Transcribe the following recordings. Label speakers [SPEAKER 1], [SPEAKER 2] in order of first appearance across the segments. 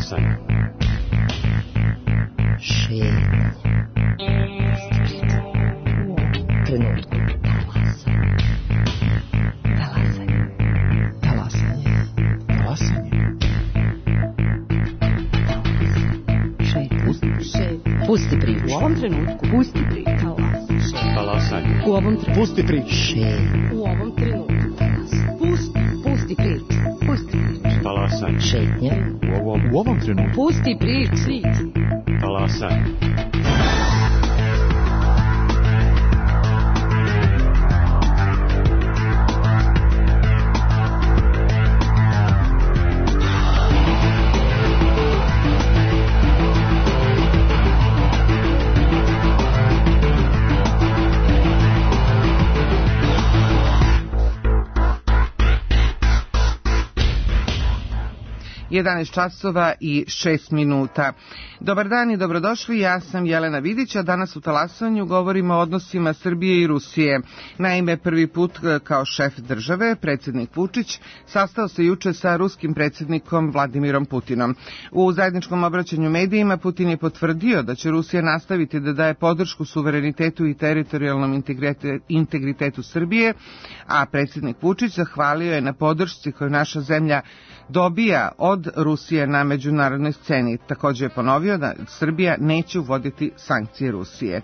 [SPEAKER 1] Talasanje.
[SPEAKER 2] Šetnja. Trenutku. Pusti priču.
[SPEAKER 3] U ovom trenutku.
[SPEAKER 2] Pusti priču.
[SPEAKER 1] Talasanje.
[SPEAKER 3] U ovom trenutku.
[SPEAKER 1] Pusti priču.
[SPEAKER 3] U ovom trenutku. Pusti priču. Pusti priču.
[SPEAKER 1] Talasanje.
[SPEAKER 2] Šetnja.
[SPEAKER 1] U ovom trenutku.
[SPEAKER 3] Pusti priču.
[SPEAKER 1] Talasanje.
[SPEAKER 4] časova i 6 minuta. Dobar dan i dobrodošli, ja sam Jelena Vidić, a danas u Talasanju govorimo o odnosima Srbije i Rusije. Naime, prvi put kao šef države, predsjednik Vučić, sastao se juče sa ruskim predsjednikom Vladimirom Putinom. U zajedničkom obraćanju medijima Putin je potvrdio da će Rusija nastaviti da daje podršku suverenitetu i teritorijalnom integritetu Srbije, a predsjednik Vučić zahvalio je na podršci koju naša zemlja dobija od Rusije na međunarodnoj sceni. Također je ponovio da Srbija neće uvoditi sankcije Rusije.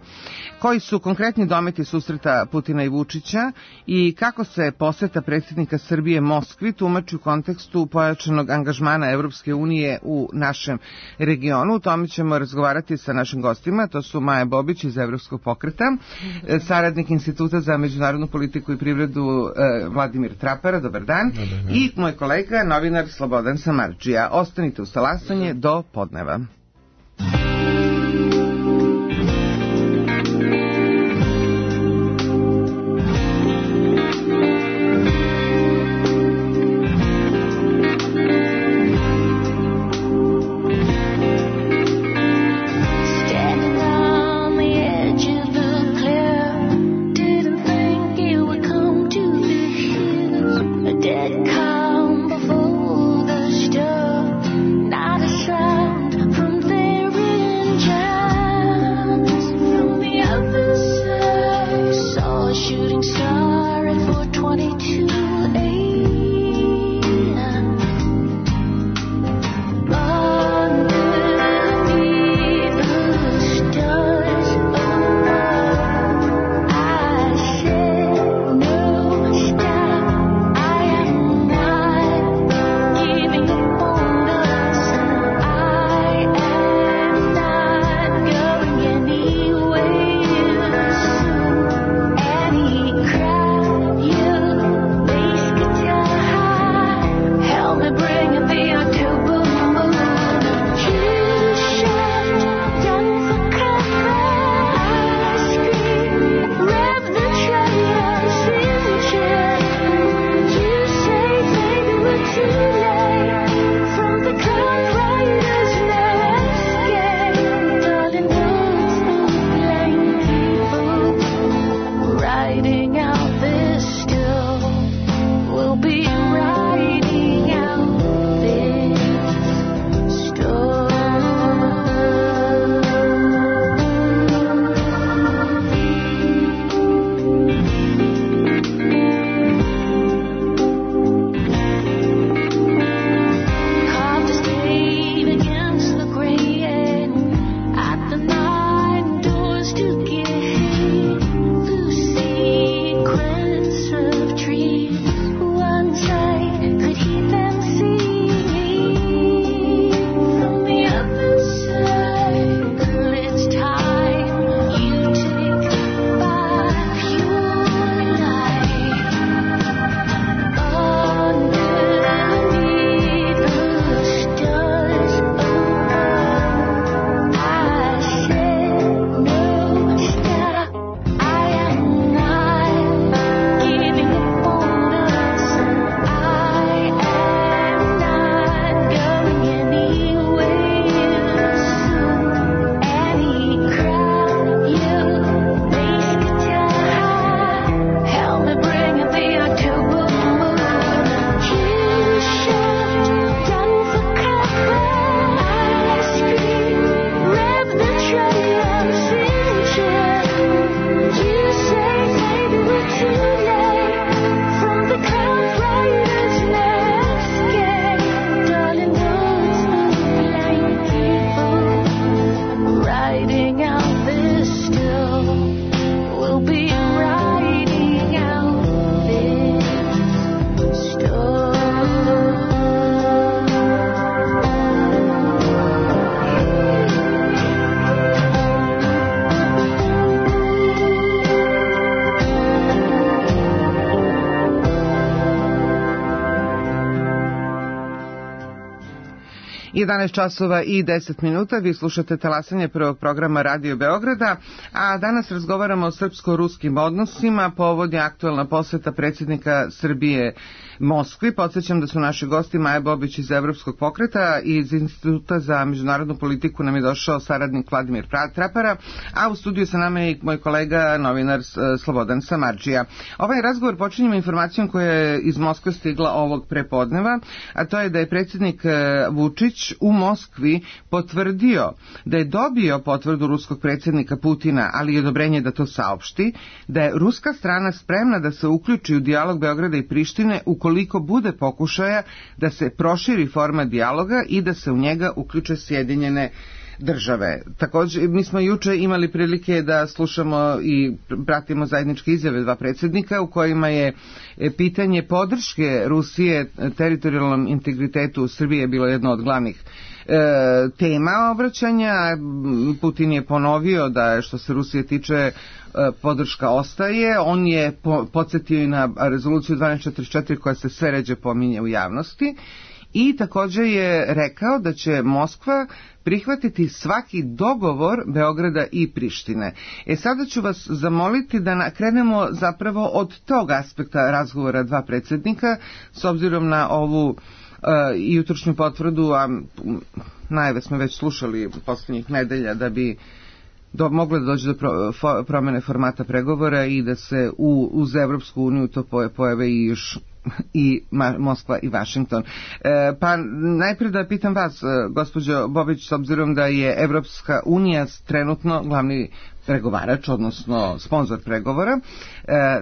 [SPEAKER 4] Koji su konkretni dometi susreta Putina i Vučića i kako se poseta predsjednika Srbije Moskvi tumači u kontekstu pojačanog angažmana Evropske unije u našem regionu? O tome ćemo razgovarati sa našim gostima. To su Maja Bobić iz Evropskog pokreta, saradnik Instituta za međunarodnu politiku i privredu Vladimir Trapara. Dobar dan. I moj kolega, novinar Slobodan Samardžija. Ostanite uz Talasanje do podneva. 11 časova i 10 minuta, vi slušate talasanje prvog programa Radio Beograda, a danas razgovaramo o srpsko-ruskim odnosima, povod je aktuelna poseta predsjednika Srbije Moskvi. Podsjećam da su naši gosti Maja Bobić iz Evropskog pokreta i iz Instituta za međunarodnu politiku nam je došao saradnik Vladimir Trapara, a u studiju sa nama je i moj kolega novinar Slobodan Samardžija. Ovaj razgovor počinjemo informacijom koja je iz Moskve stigla ovog prepodneva, a to je da je predsjednik Vučić u Moskvi potvrdio da je dobio potvrdu ruskog predsjednika Putina, ali i odobrenje da to saopšti, da je ruska strana spremna da se uključi u dijalog Beograda i Prištine ukoliko bude pokušaja da se proširi format dijaloga i da se u njega uključe Sjedinjene države. Također, mi smo juče imali prilike da slušamo i pratimo zajedničke izjave dva predsjednika u kojima je pitanje podrške Rusije teritorijalnom integritetu Srbije bilo jedno od glavnih tema obraćanja. Putin je ponovio da što se Rusije tiče podrška ostaje. On je podsjetio i na rezoluciju 1244 koja se sve ređe pominje u javnosti i također je rekao da će Moskva prihvatiti svaki dogovor Beograda i Prištine. Sada ću vas zamoliti da krenemo zapravo od tog aspekta razgovora dva predsjednika, s obzirom na ovu jutrošnju potvrdu, a najave smo već slušali posljednjih nedelja da bi moglo da dođe do promjene formata pregovora i da se uz Evropsku uniju to pojave i još i Moskva i Vašington. Pa najprije da pitam vas, gospođo Bobić, s obzirom da je Evropska unija trenutno glavni pregovarač, odnosno sponsor pregovora,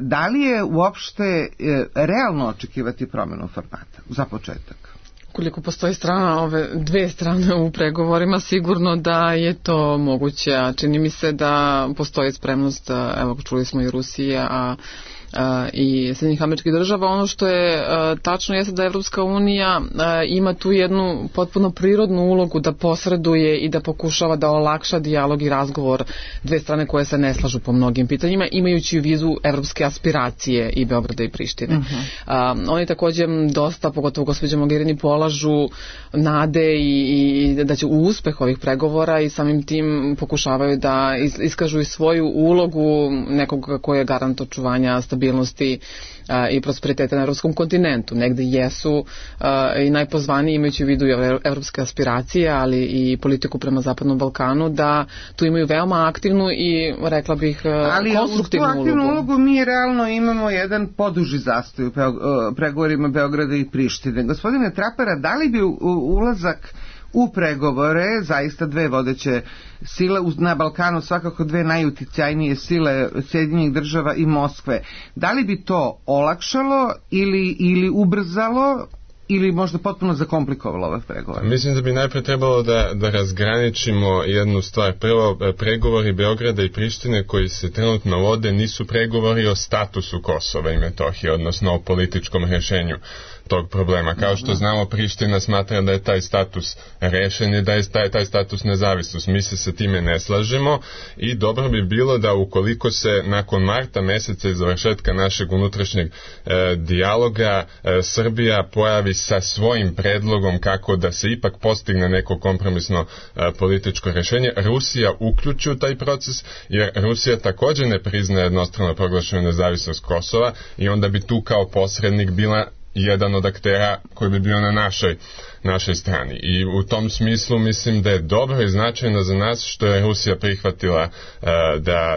[SPEAKER 4] da li je uopšte realno očekivati promjenu formata za početak?
[SPEAKER 3] Koliko postoji strana, ove dve strane u pregovorima, sigurno da je to moguće, a čini mi se da postoji spremnost, evo čuli smo i Rusije, i Sjedinjenih Američkih Država. Ono što je tačno jeste da Evropska unija ima tu jednu potpuno prirodnu ulogu da posreduje i da pokušava da olakša dijalog i razgovor dve strane koje se ne slažu po mnogim pitanjima, imajući u vidu evropske aspiracije i Beograda i Prištine. Oni također dosta, pogotovo gospođa Mogherini, polažu nade i da će u uspeh ovih pregovora i samim tim pokušavaju da iskažu i svoju ulogu nekoga koji je garant očuvanja stabilnosti i prosperiteta na evropskom kontinentu. Negde jesu i najpozvaniji, imajući u vidu evropske aspiracije, ali i politiku prema Zapadnom Balkanu, da tu imaju veoma aktivnu i, rekla bih, konstruktivnu ulogu. Ali u tu aktivnu ulogu mi realno imamo jedan poduži zastoj u pregovorima Beograda i Prištine. Gospodine Trapara, da li bi ulazak u pregovore zaista dve vodeće sile na Balkanu, svakako dve najuticajnije sile Sjedinjenih država i Moskve, da li bi to olakšalo ili ubrzalo ili možda potpuno zakomplikovalo ove pregovore?
[SPEAKER 5] Mislim da bi najprije trebalo da razgraničimo jednu stvar. Prvo, pregovori Beograda i Prištine koji se trenutno vode nisu pregovori o statusu Kosova i Metohije, odnosno o političkom rješenju tog problema. Kao što znamo, Priština smatra da je taj status rešen i da je taj status nezavisnost. Mi se sa time ne slažemo i dobro bi bilo da ukoliko se nakon marta meseca i završetka našeg unutrašnjeg dijaloga Srbija pojavi sa svojim predlogom kako da se ipak postigne neko kompromisno političko rješenje, Rusija uključi u taj proces, jer Rusija također ne priznaje jednostrano proglašenu nezavisnost Kosova i onda bi tu kao posrednik bila jedan od aktera koji bi bio na našoj strani. I u tom smislu mislim da je dobro i značajno za nas što je Rusija prihvatila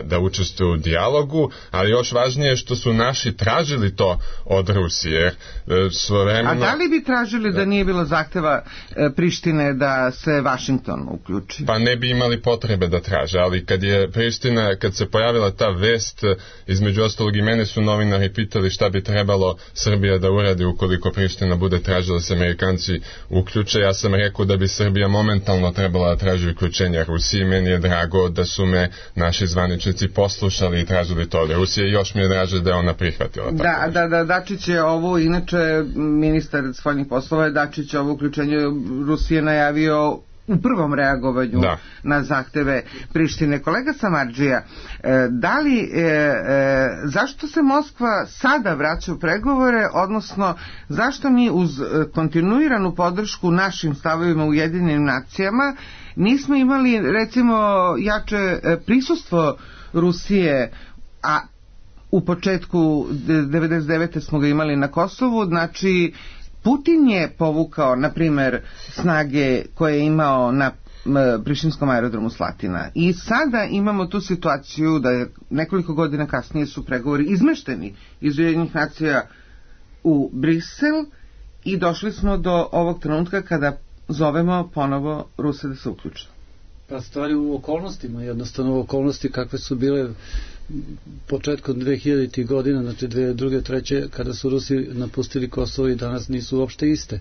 [SPEAKER 5] da učestvuje u dijalogu, ali još važnije što su naši tražili to od Rusije.
[SPEAKER 4] A da li bi tražili da nije bilo zahteva Prištine da se Vašington uključi?
[SPEAKER 5] Pa ne bi imali potrebe da traže, ali kad se pojavila ta vest, između ostalog i mene su novinari pitali šta bi trebalo Srbija da uradi ukoliko Priština bude tražila da se Amerikanci uključe. Ja sam rekao da bi Srbija momentalno trebala da traži uključenja Rusije. Meni je drago da su me naši zvaničnici poslušali i tražili to od Rusije. Još mi je draže da je ona prihvatila.
[SPEAKER 4] Da, Dačić je ovo, inače ministar spoljnih poslova je Dačić ovo uključenje Rusije najavio u prvom reagovanju na zahteve Prištine. Kolega Samardžija, da li, zašto se Moskva sada vraća u pregovore, odnosno zašto mi uz kontinuiranu podršku našim stavovima u Ujedinjenim nacijama nismo imali recimo jače prisustvo Rusije, a u početku 99. smo ga imali na Kosovu, znači Putin je povukao, na primer, snage koje je imao na prištinskom aerodromu Slatina. I sada imamo tu situaciju da je nekoliko godina kasnije su pregovori izmešteni iz Ujedinjenih nacija u Brisel i došli smo do ovog trenutka kada zovemo ponovo Ruse da se uključe.
[SPEAKER 6] Pa stvari u okolnostima, jednostavno u okolnosti kakve su bile početkom 2000. godina, znači 2002. 2003. kada su Rusi napustili Kosovo i danas nisu uopšte iste.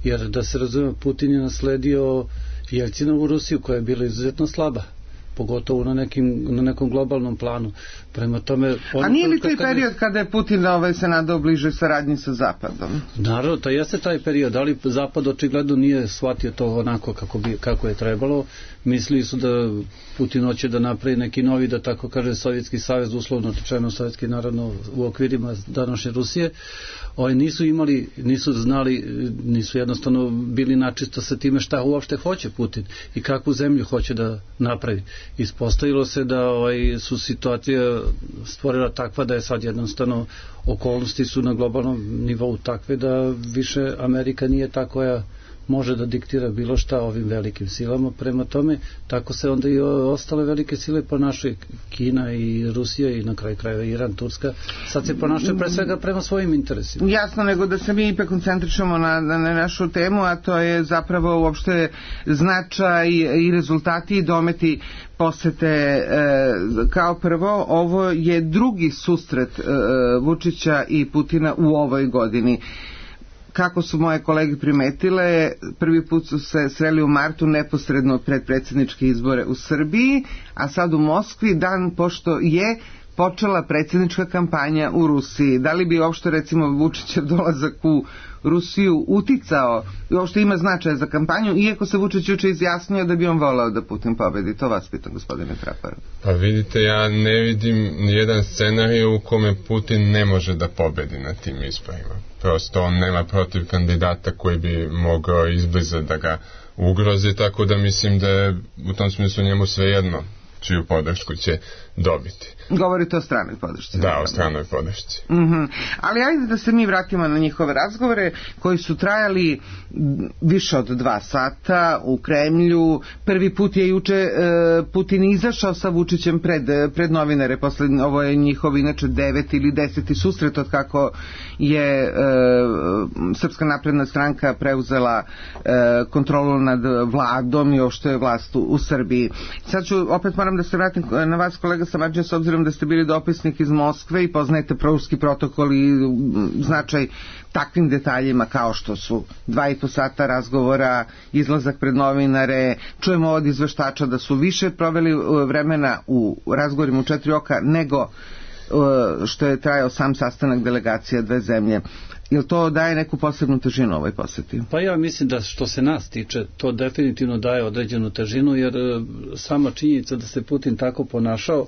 [SPEAKER 6] Jer da se razume, Putin je nasledio Jelcinovu Rusiju koja je bila izuzetno slaba, pogotovo na nekom globalnom planu. Prema tome,
[SPEAKER 4] a nije li taj period kada je Putin se nadao bliže saradnji sa Zapadom?
[SPEAKER 6] Naravno, to jeste taj period, ali Zapad očigledno nije shvatio to onako kako je trebalo. Mislili su da Putin hoće da napravi neki novi, da tako kaže, Sovjetski savez, uslovno rečeno sovjetski, naravno u okvirima današnje Rusije. Nisu imali, nisu znali, nisu jednostavno bili načisto sa time šta uopšte hoće Putin i kakvu zemlju hoće da napravi. Ispostavilo se da su situacija stvorila takva da je sad jednostavno okolnosti su na globalnom nivou takve da više Amerika nije ta koja može da diktira bilo šta ovim velikim silama. Prema tome, tako se onda i ostale velike sile ponašaju, Kina i Rusija i na kraju krajeva Iran, Turska, sad se ponašaju pre svega prema svojim interesima.
[SPEAKER 4] Jasno, nego da se mi ipak koncentrišemo na našu temu, a to je zapravo uopšte značaj i rezultati i dometi posete. Kao prvo, ovo je drugi susret Vučića i Putina u ovoj godini. Kako su moje kolege primetile, prvi put su se sreli u martu neposredno pred predsjedničke izbore u Srbiji, a sad u Moskvi, dan pošto je počela predsjednička kampanja u Rusiji. Da li bi uopšte, recimo, Vučićev dolazak u Rusiju uticao i uopšte ima značaja za kampanju, iako se Vučić juče izjasnio da bi on volao da Putin pobedi? To vas pitam, gospodine Traparu.
[SPEAKER 5] Pa vidite, ja ne vidim nijedan scenarij u kome Putin ne može da pobedi na tim izborima. Prosto on nema protiv kandidata koji bi mogao izbliza da ga ugrozi, tako da mislim da je u tom smislu njemu svejedno čiju podršku će dobiti.
[SPEAKER 4] Govorite o stranoj podršci.
[SPEAKER 5] Da, o stranoj podršci.
[SPEAKER 4] Ali ajde da se mi vratimo na njihove razgovore koji su trajali više od 2 sata u Kremlju. Prvi put je juče Putin izašao sa Vučićem pred novinare. Ovo je njihov inače 9. ili 10. susret od kako je Srpska napredna stranka preuzela kontrolu nad vladom i uopšte je vlast u Srbiji. Sad opet moram da se vratim na vas, kolega Samardžija, s obzirom da ste bili dopisnik iz Moskve i poznajete prouski protokol i značaj takvim detaljima kao što su 2,5 sata razgovora, izlazak pred novinare. Čujemo od izveštača da su više proveli vremena u razgovorima u 4 oka nego što je trajao sam sastanak delegacija dve zemlje. Jel to daje neku posebnu težinu ovoj poseti?
[SPEAKER 6] Pa ja mislim da što se nas tiče, to definitivno daje određenu težinu, jer sama činjenica da se Putin tako ponašao,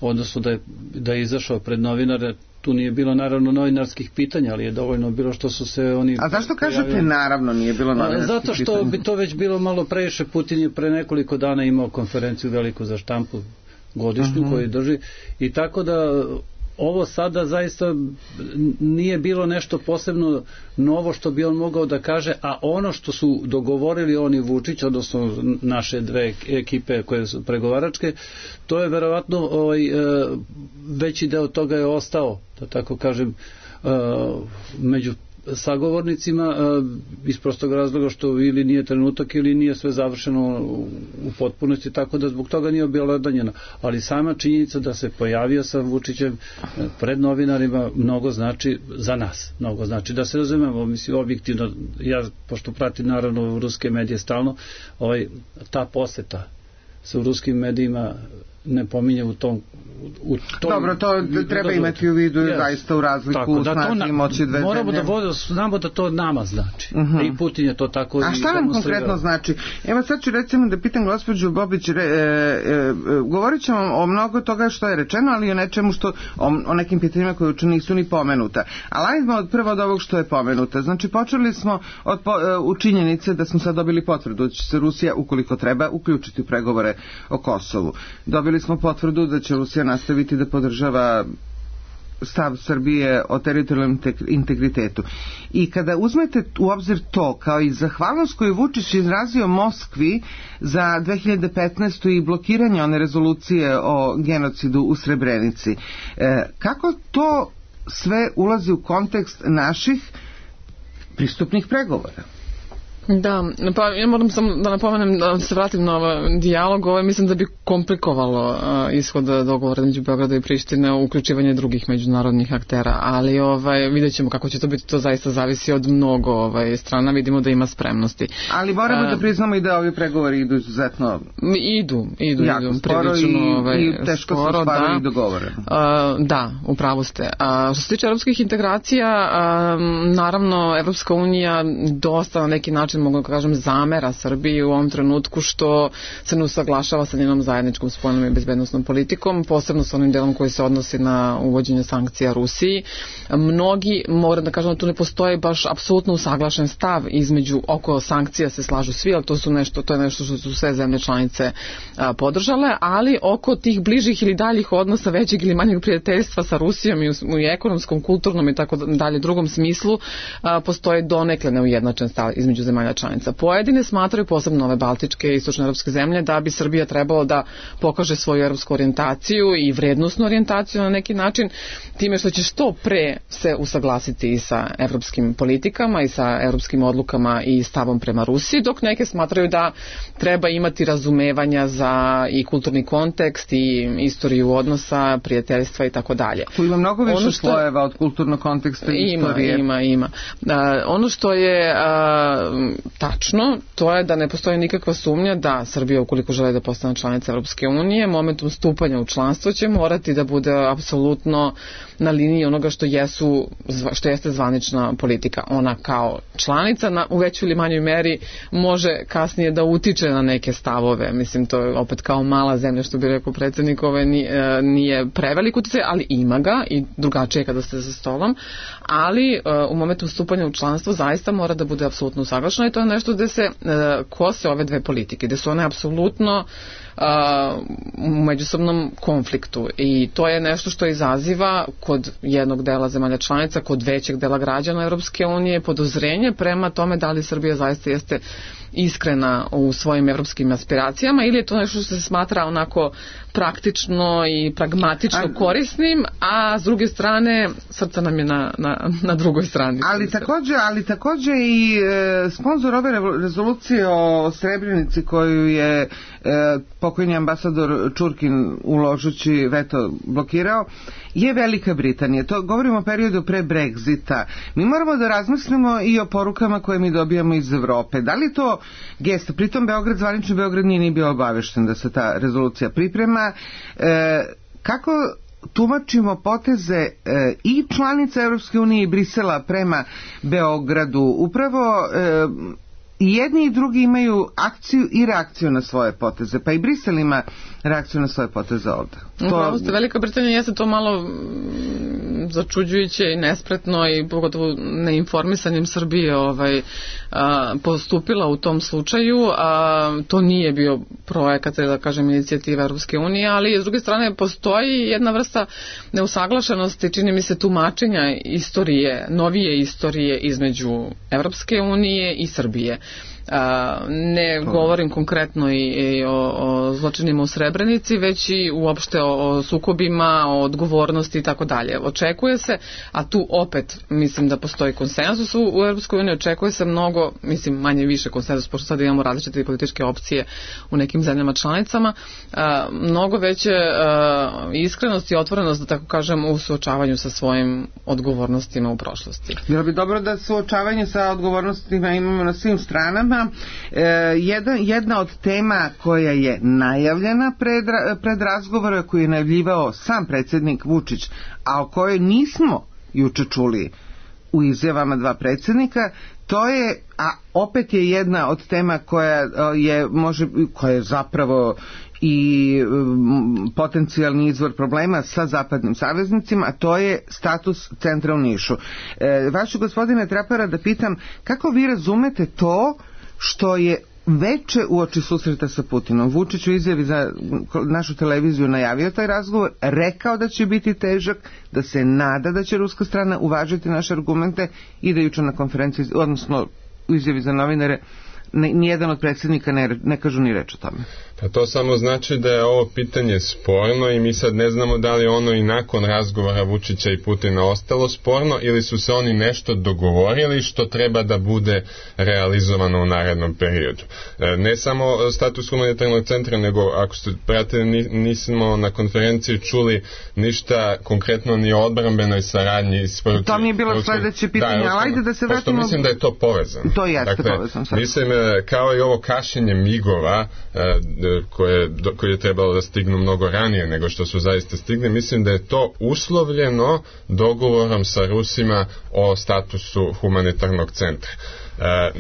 [SPEAKER 6] odnosno da je izašao pred novinare, tu nije bilo naravno novinarskih pitanja, ali je dovoljno bilo što su se oni...
[SPEAKER 4] A zašto kažete naravno nije bilo novinarskih pitanja?
[SPEAKER 6] Zato što bi to već bilo malo previše. Putin je pre nekoliko dana imao konferenciju veliku za štampu godišnju koju drži i tako da ovo sada zaista nije bilo nešto posebno novo što bi on mogao da kaže, a ono što su dogovorili oni Vučić, odnosno naše dve ekipe koje su pregovaračke, to je verovatno veći deo toga je ostao, da tako kažem, među sagovornicima iz prostog razloga što ili nije trenutak ili nije sve završeno u potpunosti, tako da zbog toga nije objelodanjeno. Ali sama činjenica da se pojavio sa Vučićem pred novinarima mnogo znači za nas. Mnogo znači da se razumemo, mislim objektivno, ja pošto pratim naravno ruske medije stalno, ta poseta se u ruskim medijima ne pominje u tom.
[SPEAKER 4] Dobro, to treba imati u vidu zaista u razliku u snazi i moći dve zemlje.
[SPEAKER 6] Moramo da znamo da to nama znači. I Putin je to tako.
[SPEAKER 4] A šta nam konkretno znači? Evo sad ću recimo da pitam gospođu Bobić, govorit ćemo o mnogo toga što je rečeno, ali o nečemu što, o nekim pitanjima koje uče nisu ni pomenuta. Ali ajdemo prvo od ovog što je pomenuta. Znači počeli smo u činjenice da smo sad dobili potvrdu da će se Rusija, ukoliko treba, uključiti u pregovore o Kosovu. Dobili smo potvrdu da će Rusija nastaviti da podržava stav Srbije o teritorijalnom integritetu. I kada uzmete u obzir to, kao i zahvalnost koju Vučić izrazio Moskvi za 2015. i blokiranje one rezolucije o genocidu u Srebrenici, kako to sve ulazi u kontekst naših pristupnih pregovora?
[SPEAKER 3] Da, pa ja moram samo da napomenem, da se vratim na ovaj dijalog, mislim da bi komplikovalo ishod dogovora između Beograda i Prištine, uključivanje drugih međunarodnih aktera, ali vidjet ćemo kako će to biti, to zaista zavisi od mnogo strana, vidimo da ima spremnosti.
[SPEAKER 4] Ali moramo da priznamo i da ovi pregovori idu izuzetno
[SPEAKER 3] idu
[SPEAKER 4] sporo i teško se ostvaruju i dogovore.
[SPEAKER 3] Da, upravo ste. Što se tiče evropskih integracija, naravno Evropska unija dosta na neki način, mogu da kažem, zamera Srbiji u ovom trenutku što se ne usaglašava sa njenom zajedničkom spoljnom i bezbednosnom politikom, posebno sa onim delom koji se odnosi na uvođenje sankcija Rusiji. Mnogi, moram da kažem da tu ne postoji baš apsolutno usaglašen stav između, oko sankcija se slažu svi, ali to je nešto što su sve zemlje članice podržale, ali oko tih bližih ili daljih odnosa, većeg ili manjeg prijateljstva sa Rusijom i u ekonomskom, kulturnom i tako dalje drugom smislu postoji donekle neujednačen stav između zemalja članica. Pojedine smatraju, posebno ove baltičke i istočnoevropske zemlje, da bi Srbija trebalo da pokaže svoju evropsku orijentaciju i vrednosnu orijentaciju na neki način, time što će što pre se usaglasiti i sa evropskim politikama i sa evropskim odlukama i stavom prema Rusiji, dok neke smatraju da treba imati razumevanja za i kulturni kontekst i istoriju odnosa, prijateljstva i tako dalje.
[SPEAKER 4] Tu ima mnogo više slojeva od kulturnog konteksta i istorije.
[SPEAKER 3] Ima. Ono što je tačno, to je da ne postoji nikakva sumnja da Srbija, ukoliko želi da postane članica Evropske unije, momentum stupanja u članstvo će morati da bude apsolutno na liniji onoga što jeste zvanična politika. Ona kao članica u većoj ili manjoj meri može kasnije da utiče na neke stavove. Mislim, to je opet kao mala zemlja, što bi rekao predsjednik, nije prevelik uticaj, ali ima ga i drugačije kada ste za stolom, ali u momentu stupanja u članstvo zaista mora da bude apsolutno usaglašeno i to je nešto gde se kose ove dve politike, gde su one apsolutno u međusobnom konfliktu i to je nešto što izaziva kod jednog dela zemalja članica, kod većeg dela građana Evropske unije podozrenje prema tome da li Srbija zaista jeste iskrena u svojim evropskim aspiracijama ili je to nešto što se smatra onako praktično i pragmatično korisnim, a s druge strane srce nam je na drugoj strani.
[SPEAKER 4] Ali takođe i sponsor ove rezolucije o Srebrenici koju je pokojni ambasador Čurkin uložući veto blokirao je Velika Britanija. To govorimo o periodu pre Brexita. Mi moramo da razmislimo i o porukama koje mi dobijamo iz Evrope. Da li to gesta? Pritom zvanični Beograd nije ni bio obavešten da se ta rezolucija priprema. Kako tumačimo poteze i članica Evropske unije i Brisela prema Beogradu? Upravo i jedni i drugi imaju akciju i reakciju na svoje poteze, pa i Brisel ima reakciju na svoje poteze ovde.
[SPEAKER 3] Upravo ste, Velika Britanija jeste to malo začuđujuće i nespretno i pogotovo neinformisanjem Srbije postupila u tom slučaju. To nije bio projekat, da kažem, inicijativa Evropske unije, ali s druge strane postoji jedna vrsta neusaglašenosti, čini mi se, tumačenja istorije, novije istorije između Evropske unije i Srbije. Ne govorim konkretno i o zločinima u Srebrenici, već i uopšte o sukobima, o odgovornosti i tako dalje. Očekuje se, a tu opet mislim da postoji konsenzus u Europskoj uniji, očekuje se mnogo, mislim manje više konsenzus, pošto sad imamo različite političke opcije u nekim zemljama članicama, mnogo veće iskrenost i otvorenost, da tako kažem, u suočavanju sa svojim odgovornostima u prošlosti.
[SPEAKER 4] Bilo bi dobro da suočavanje sa odgovornostima imamo na svim stranama zanima jedna od tema koja je najavljena pred razgovora, koju je najavljivao sam predsjednik Vučić, a o kojoj nismo juče čuli u izjavama dva predsjednika, to je, a opet je jedna od tema koja je zapravo i potencijalni izvor problema sa zapadnim saveznicima, a to je status centra u Nišu. Vašu, gospodine Trapara, da pitam, kako vi razumete to što je veče uoči susreta sa Putinom Vučić u izjavi za našu televiziju najavio taj razgovor, rekao da će biti težak, da se nada da će ruska strana uvažiti naše argumente i da juče na konferenciji, odnosno u izjavi za novinare, nijedan od predsjednika ne kažu ni reč o tome.
[SPEAKER 5] Pa to samo znači da je ovo pitanje sporno i mi sad ne znamo da li ono i nakon razgovora Vučića i Putina ostalo sporno ili su se oni nešto dogovorili što treba da bude realizovano u narednom periodu. Ne samo status humanitarnog centra, nego ako ste pratili, nismo na konferenciji čuli ništa konkretno ni o odbrambenoj saradnji.
[SPEAKER 4] To mi je bilo sledeće pitanje, ali ajde da se vratimo.
[SPEAKER 5] Mislim da je to povezano.
[SPEAKER 4] To jeste povezano.
[SPEAKER 5] Mislim, kao i ovo kašenje migova koje je trebalo da stignu mnogo ranije nego što su zaista stigli, mislim da je to uslovljeno dogovorom sa Rusima o statusu humanitarnog centra.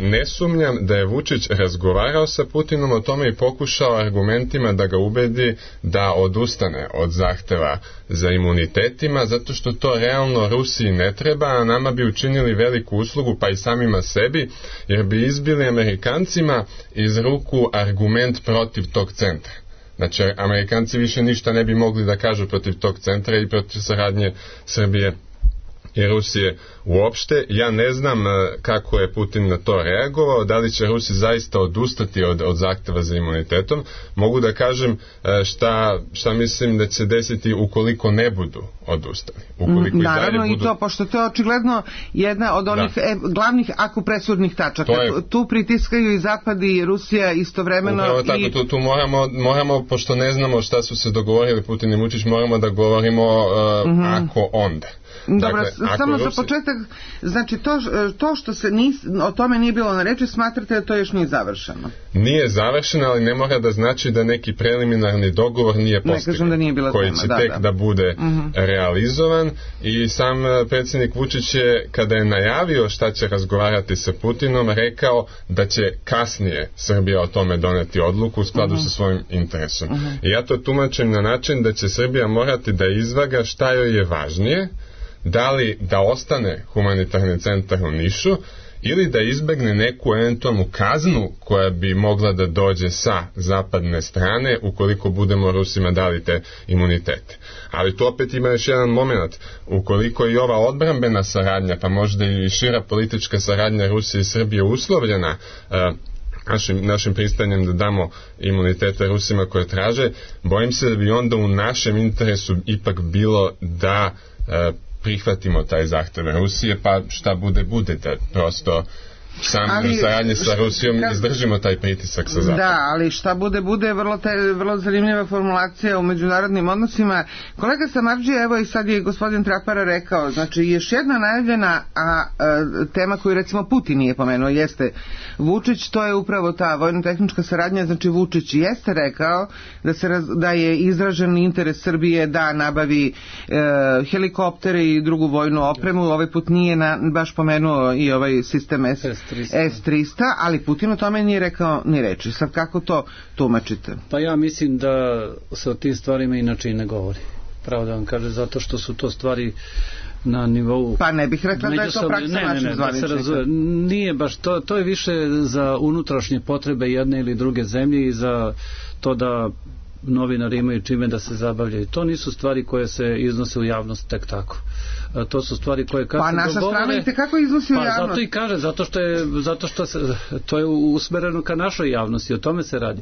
[SPEAKER 5] Ne sumnjam da je Vučić razgovarao sa Putinom o tome i pokušao argumentima da ga ubedi da odustane od zahteva za imunitetima, zato što to realno Rusiji ne treba, a nama bi učinili veliku uslugu, pa i samima sebi, jer bi izbili Amerikancima iz ruku argument protiv tog centra. Znači, Amerikanci više ništa ne bi mogli da kažu protiv tog centra i protiv saradnje Srbije i Rusije uopšte. Ja ne znam kako je Putin na to reagovao, da li će Rusi zaista odustati od zahteva za imunitetom. Mogu da kažem šta mislim da će desiti ukoliko ne budu odustali.
[SPEAKER 4] Naravno i to, pošto to je očigledno jedna od onih glavnih akupresurdnih tačaka. Tu pritiskaju i Zapad i Rusija istovremeno.
[SPEAKER 5] Upravo tako, tu moramo, pošto ne znamo šta su se dogovorili Putin i Vučić, moramo da govorimo ako onda.
[SPEAKER 4] Dobro, dakle, samo za početak, znači to što se o tome nije bilo na reči, smatrate da to još nije završeno?
[SPEAKER 5] Nije završeno, ali ne mora da znači da neki preliminarni dogovor nije postignut, koji će tek da bude realizovan, i sam predsjednik Vučić je, kada je najavio šta će razgovarati sa Putinom, rekao da će kasnije Srbija o tome doneti odluku u skladu sa svojim interesom. I ja to tumačim na način da će Srbija morati da izvaga šta joj je važnije, da li da ostane humanitarni centar u Nišu ili da izbegne neku eventualnu kaznu koja bi mogla da dođe sa zapadne strane ukoliko budemo Rusima dali te imunitete. Ali tu opet ima još jedan moment, ukoliko i ova odbrambena saradnja, pa možda i šira politička saradnja Rusije i Srbije uslovljena našim pristanjem da damo imunitete Rusima koje traže, bojim se da bi onda u našem interesu ipak bilo da prihvatimo taj zahtev Rusije, pa šta bude, da prosto kroz saradnje sa Rusijom izdržimo taj pritisak sa Zapadom.
[SPEAKER 4] Da, ali šta bude, vrlo zanimljiva formulacija u međunarodnim odnosima. Kolega Samardžija, evo i sad je gospodin Trapara rekao, znači još jedna najavljena tema koju recimo Putin nije pomenuo jeste Vučić, to je upravo ta vojno-tehnička saradnja. Znači Vučić jeste rekao da je izražen interes Srbije da nabavi helikoptere i drugu vojnu opremu. Ovaj put nije baš pomenuo i ovaj sistem S-300, ali Putin o tome nije rekao ni reči. Sad kako to tumačite?
[SPEAKER 6] Pa ja mislim da se o tim stvarima inače i ne govori. Pravo da vam kaže, zato što su to stvari na nivou...
[SPEAKER 4] Pa ne bih rekla da je to praksa naših zvaničnika.
[SPEAKER 6] Nije baš, to je više za unutrašnje potrebe jedne ili druge zemlje i za to da novinari imaju čime da se zabavljaju. To nisu stvari koje se iznose u javnost tek tako. To su stvari koje
[SPEAKER 4] pa naša strana i tekako iznosi u javnost.
[SPEAKER 6] Zato i kaže, zato što to je usmereno ka našoj javnosti, o tome se radi.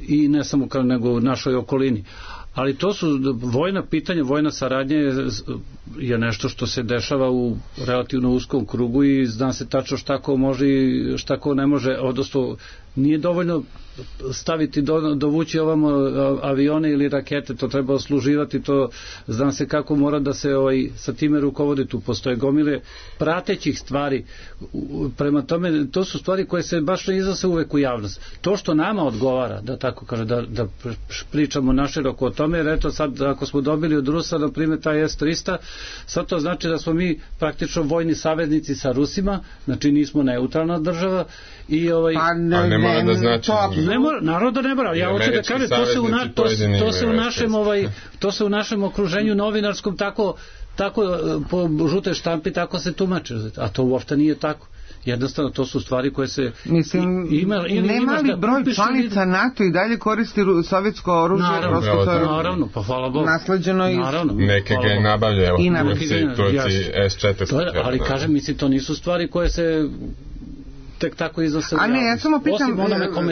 [SPEAKER 6] I ne samo nego u našoj okolini. Ali to su vojna pitanja, vojna saradnja je nešto što se dešava u relativno uskom krugu i zna se tačno šta ko može i šta ko ne može, odnosno nije dovoljno staviti dovući ovamo avione ili rakete, to treba osluživati, to zna se kako mora da se sa time rukovodi, tu postoje gomile pratećih stvari, prema tome to su stvari koje se baš ne iznose uvek u javnost. To što nama odgovara, da tako kaže, da pričamo naširoko o tome, jer eto sad ako smo dobili od Rusa na primjer taj S-300, sad to znači da smo mi praktično vojni saveznici sa Rusima, znači nismo neutralna država i
[SPEAKER 5] ne mora da znači
[SPEAKER 6] naravno da ne mora. Ja hoću da kažem, to se u našem okruženju novinarskom tako po žutoj štampi tako se tumače, a to uopšte nije tako. Jednostavno to su stvari koje se
[SPEAKER 4] nema li broj članica NATO i dalje koristi sovjetsko oružje?
[SPEAKER 6] Naravno, pa hvala Bogu,
[SPEAKER 4] nasleđeno iz
[SPEAKER 5] neke ga nabavljaju Turci S-400,
[SPEAKER 6] ali kažem, mislim, to nisu stvari koje se tek tako iznose u javnost.
[SPEAKER 4] A ne, ja samo pitam,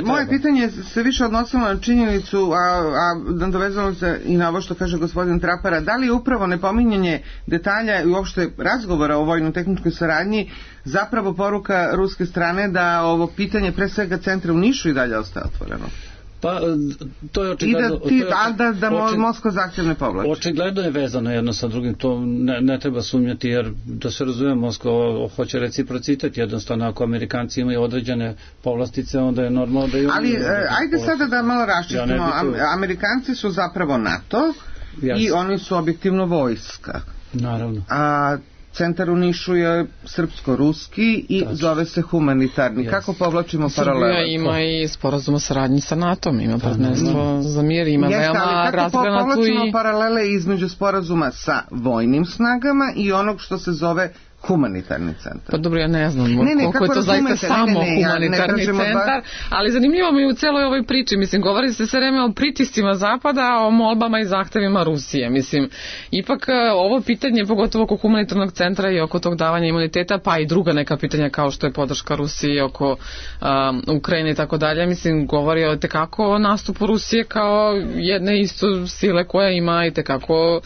[SPEAKER 4] moje pitanje se više odnosilo na činjenicu, a dovezalo se i na ovo što kaže gospodin Trapara, da li je upravo nepominjanje detalja i uopšte razgovora o vojno-tehničkoj saradnji zapravo poruka ruske strane da ovo pitanje pre svega centra u Nišu i dalje ostaje otvoreno?
[SPEAKER 6] Pa, to je očigledno...
[SPEAKER 4] Da Moskva zahtjev ne povlači.
[SPEAKER 6] Očigledno je vezano jedno sa drugim, to ne treba sumnjati, jer da se razume, Moskva hoće reciprocitet, jednostavno ako Amerikanci imaju određene povlastice, onda je normalno da imaju...
[SPEAKER 4] Ali, ajde sada da malo raščistimo, Amerikanci su zapravo NATO i oni su objektivno vojska.
[SPEAKER 6] Naravno.
[SPEAKER 4] A centar u Nišu je srpsko-ruski i zove se humanitarni. Kako povlačimo paralele?
[SPEAKER 3] Srbija ima i sporazum o saradnji sa NATO-om, ima partnerstvo za mir, ima veoma razgranatu i...
[SPEAKER 4] Kako povlačimo paralele između sporazuma sa vojnim snagama i onog što se zove humanitarni centar?
[SPEAKER 3] Pa dobro, ja ne znam koliko je to zaista samo humanitarni centar, ali zanimljivo mi je u celoj ovoj priči, mislim, govori se sve vreme o pritiscima Zapada, o molbama i zahtevima Rusije, mislim, ipak ovo pitanje, pogotovo oko humanitarnog centra i oko tog davanja imuniteta, pa i druga neka pitanja kao što je podrška Rusiji oko Ukrajine i tako dalje, mislim, govori o tekako nastupu Rusije kao jedne isto sile koja ima i tekako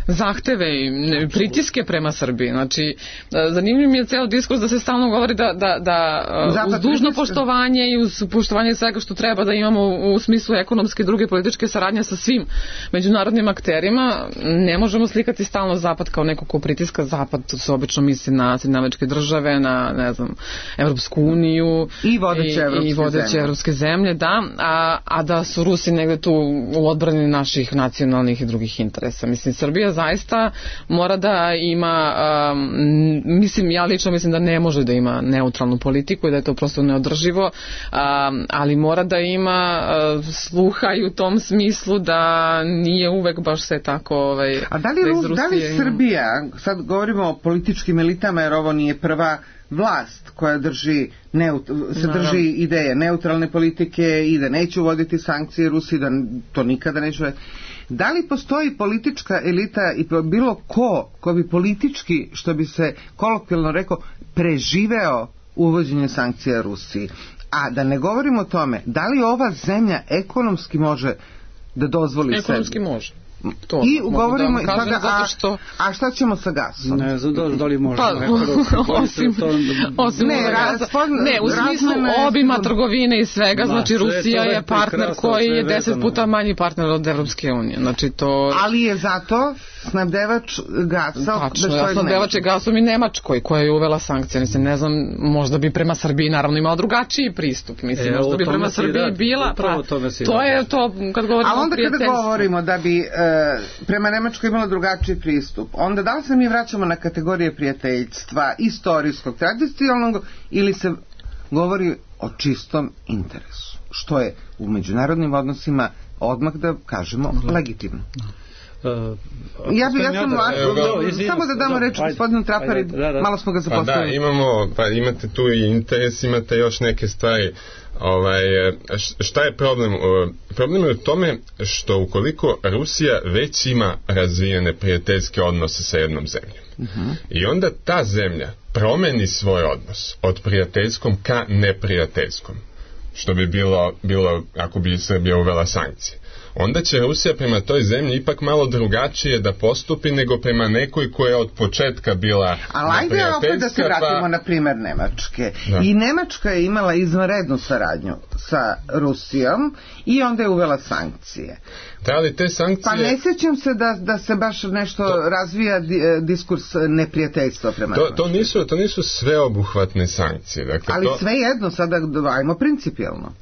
[SPEAKER 3] zahteve i pritiske prema Srbiji. Znači, zanimljiv mi je ceo diskurs da se stalno govori da uz dužno poštovanje i uz poštovanje svega što treba da imamo u smislu ekonomske i druge političke saradnje sa svim međunarodnim akterima, ne možemo slikati stalno Zapad kao neko ko pritiska. Zapad se obično misli na Sjedinjene Američke Države, na, ne znam, Evropsku uniju
[SPEAKER 4] i vodeće
[SPEAKER 3] evropske zemlje, da, a da su Rusi negde tu u odbrani naših nacionalnih i drugih interesa. Mislim, Srbija zaista mora da ima, mislim, ja lično mislim da ne može da ima neutralnu politiku i da je to prosto neodrživo, ali mora da ima sluha i u tom smislu da nije uvek baš sve tako
[SPEAKER 4] a da li Srbija, sad govorimo o političkim elitama jer ovo nije prva vlast koja drži ideje neutralne politike i da neće uvoditi sankcije Rusiji, da to nikada neće uvoditi. Da li postoji politička elita i bilo ko bi politički, što bi se kolokvijalno rekao, preživeo uvođenje sankcija Rusiji? A da ne govorimo o tome, da li ova zemlja ekonomski može da dozvoli sebi?
[SPEAKER 3] Ekonomski može.
[SPEAKER 4] To, i ugovorimo da sada, što... a šta ćemo sa gasom?
[SPEAKER 6] Ne znam da li možemo
[SPEAKER 3] osim u smislu obima trgovine i svega, znači Rusija je partner koji je 10 puta manji partner od Evropske unije, znači to...
[SPEAKER 4] Ali je zato snabdevač gasa,
[SPEAKER 3] tačno, snabdevač je gasom i Nemačkoj koja je uvela sankcije, mislim, ne znam, možda bi prema Srbiji naravno imala drugačiji pristup, mislim, možda bi prema Srbiji bila, to je to kad govorimo o prijateljstvu.
[SPEAKER 4] A onda kada govorimo da bi prema Nemačkoj imala drugačiji pristup, onda da li se mi vraćamo na kategorije prijateljstva, istorijskog, tradicionalnog, ili se govori o čistom interesu, što je u međunarodnim odnosima odmah da kažemo legitimno. Samo da damo reč gospodinu Trapari, malo smo ga zapostavili.
[SPEAKER 5] Imate tu i interes, imate još neke stvari. Šta je problem? Problem je u tome što ukoliko Rusija već ima razvijene prijateljske odnose sa jednom zemljom i onda ta zemlja promeni svoj odnos od prijateljskom ka neprijateljskom, što bi bilo ako bi Srbija uvela sankcije, onda će Rusija prema toj zemlji ipak malo drugačije da postupi nego prema nekoj koja je od početka bila
[SPEAKER 4] ali ajde opet da se vratimo na primer Nemačke. Da. I Nemačka je imala izvanrednu saradnju sa Rusijom i onda je uvela sankcije.
[SPEAKER 5] Da, ali te sankcije...
[SPEAKER 4] Pa ne sjećam se da se baš nešto razvija diskurs neprijateljstva prema
[SPEAKER 5] to nisu sveobuhvatne sankcije. Dakle,
[SPEAKER 4] ali svejedno, sada ajmo principijelno.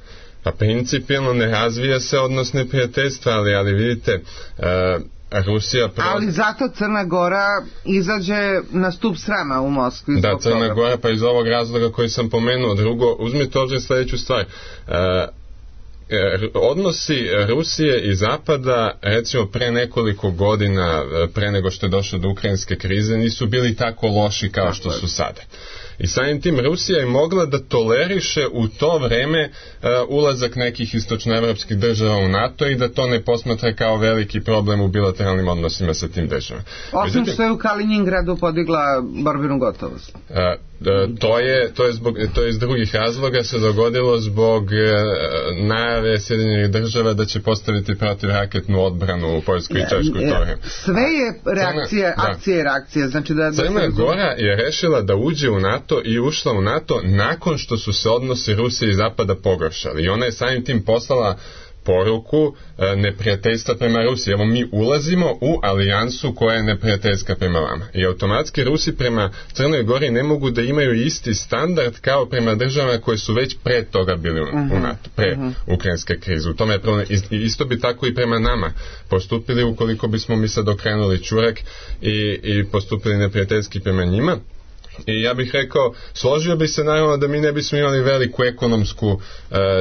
[SPEAKER 5] Pa principijelno ne razvija se odnos neprijateljstva, ali vidite... Rusija
[SPEAKER 4] ali zato Crna Gora izađe na stup srama u Moskvi.
[SPEAKER 5] Da, Crna Gora, pa iz ovog razloga koji sam pomenuo. Drugo, uzmite ovdje sljedeću stvar. Odnosi Rusije i Zapada, recimo pre nekoliko godina, pre nego što je došlo do ukrajinske krize, nisu bili tako loši kao što su sada. I samim tim Rusija je mogla da toleriše u to vreme ulazak nekih istočnoevropskih država u NATO i da to ne posmatra kao veliki problem u bilateralnim odnosima sa tim državama.
[SPEAKER 4] Osim što je u Kaliningradu podigla borbenu gotovost.
[SPEAKER 5] To je iz drugih razloga se dogodilo zbog najave Sjedinjenih država da će postaviti protivraketnu odbranu u Poljskoj i Češkoj to vreme.
[SPEAKER 4] Sve je reakcija, akcija i reakcija. Znači
[SPEAKER 5] Crna Gora je rešila da uđe u NATO i ušla u NATO nakon što su se odnosi Rusije i Zapada pogoršali. I ona je samim tim poslala poruku neprijateljstva prema Rusiji. Evo, mi ulazimo u alijansu koja je neprijateljska prema vama. I automatski Rusi prema Crnoj Gori ne mogu da imaju isti standard kao prema državama koje su već pre toga bili u NATO, pre ukrajinske krize. U tome je problem. Isto bi tako i prema nama postupili ukoliko bismo mi sad okrenuli čurek i postupili neprijateljski prema njima. I ja bih rekao, složio bi se naravno da mi ne bismo imali veliku ekonomsku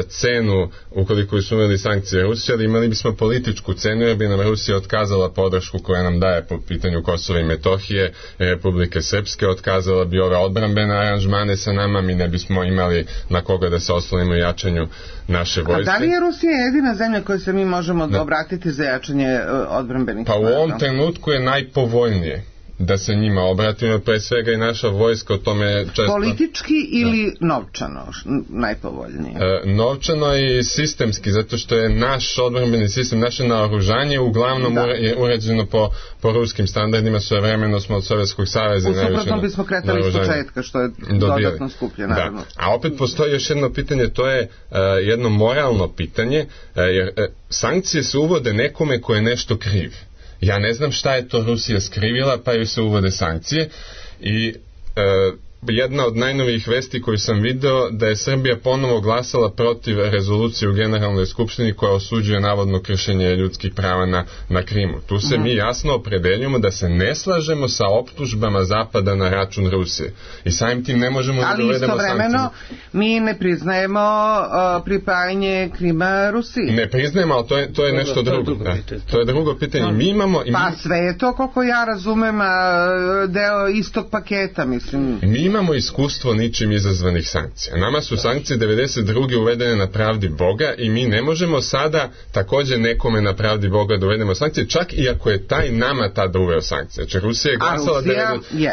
[SPEAKER 5] cenu ukoliko bismo imali sankcije Rusije, ali imali bismo političku cenu jer bi nam Rusija otkazala podršku koja nam daje po pitanju Kosova i Metohije, Republike Srpske, otkazala bi ove odbrambene aranžmane sa nama, mi ne bismo imali na koga da se oslonimo u jačanju naše vojske.
[SPEAKER 4] A da li je Rusija jedina zemlja koju se mi možemo obratiti za jačanje odbrambenih?
[SPEAKER 5] Pa u ovom trenutku je najpovoljnije da se njima obratimo, pre svega i naša vojska o tome često...
[SPEAKER 4] Politički ili novčano najpovoljnije?
[SPEAKER 5] Novčano i sistemski, zato što je naš odbrambeni sistem, naše naoružanje uglavnom je urađeno po ruskim standardima, svojevremeno smo od Sovjetskog saveza.
[SPEAKER 4] U suprotnom bismo kretali iz početka, što je dodatno skuplje, naravno.
[SPEAKER 5] Da. A opet postoji još jedno pitanje, to je jedno moralno pitanje, jer sankcije se uvode nekome ko je nešto kriv. Ja ne znam šta je to Rusija skrivila, pa joj se uvode sankcije i jedna od najnovijih vesti koju sam video da je Srbija ponovo glasala protiv rezolucije u Generalnoj skupštini koja osuđuje navodno kršenje ljudskih prava na Krimu. Tu se mi jasno opredeljujemo da se ne slažemo sa optužbama Zapada na račun Rusije. I samim tim ne možemo da uvedemo sankcije.
[SPEAKER 4] Ali istovremeno mi ne priznajemo pripajanje Krima Rusiji.
[SPEAKER 5] Ne priznajemo, ali to je nešto drugo. To je drugo pitanje. Mi imamo...
[SPEAKER 4] Pa sve je to, koliko ja razumem, deo istog paketa, mislim.
[SPEAKER 5] Mi imamo iskustvo ničim izazvanih sankcija. Nama su sankcije 92. uvedene na pravdi Boga i mi ne možemo sada također nekome na pravdi Boga da uvedemo sankcije, čak i ako je taj nama tada uveo sankcije. Znači Rusija je glasala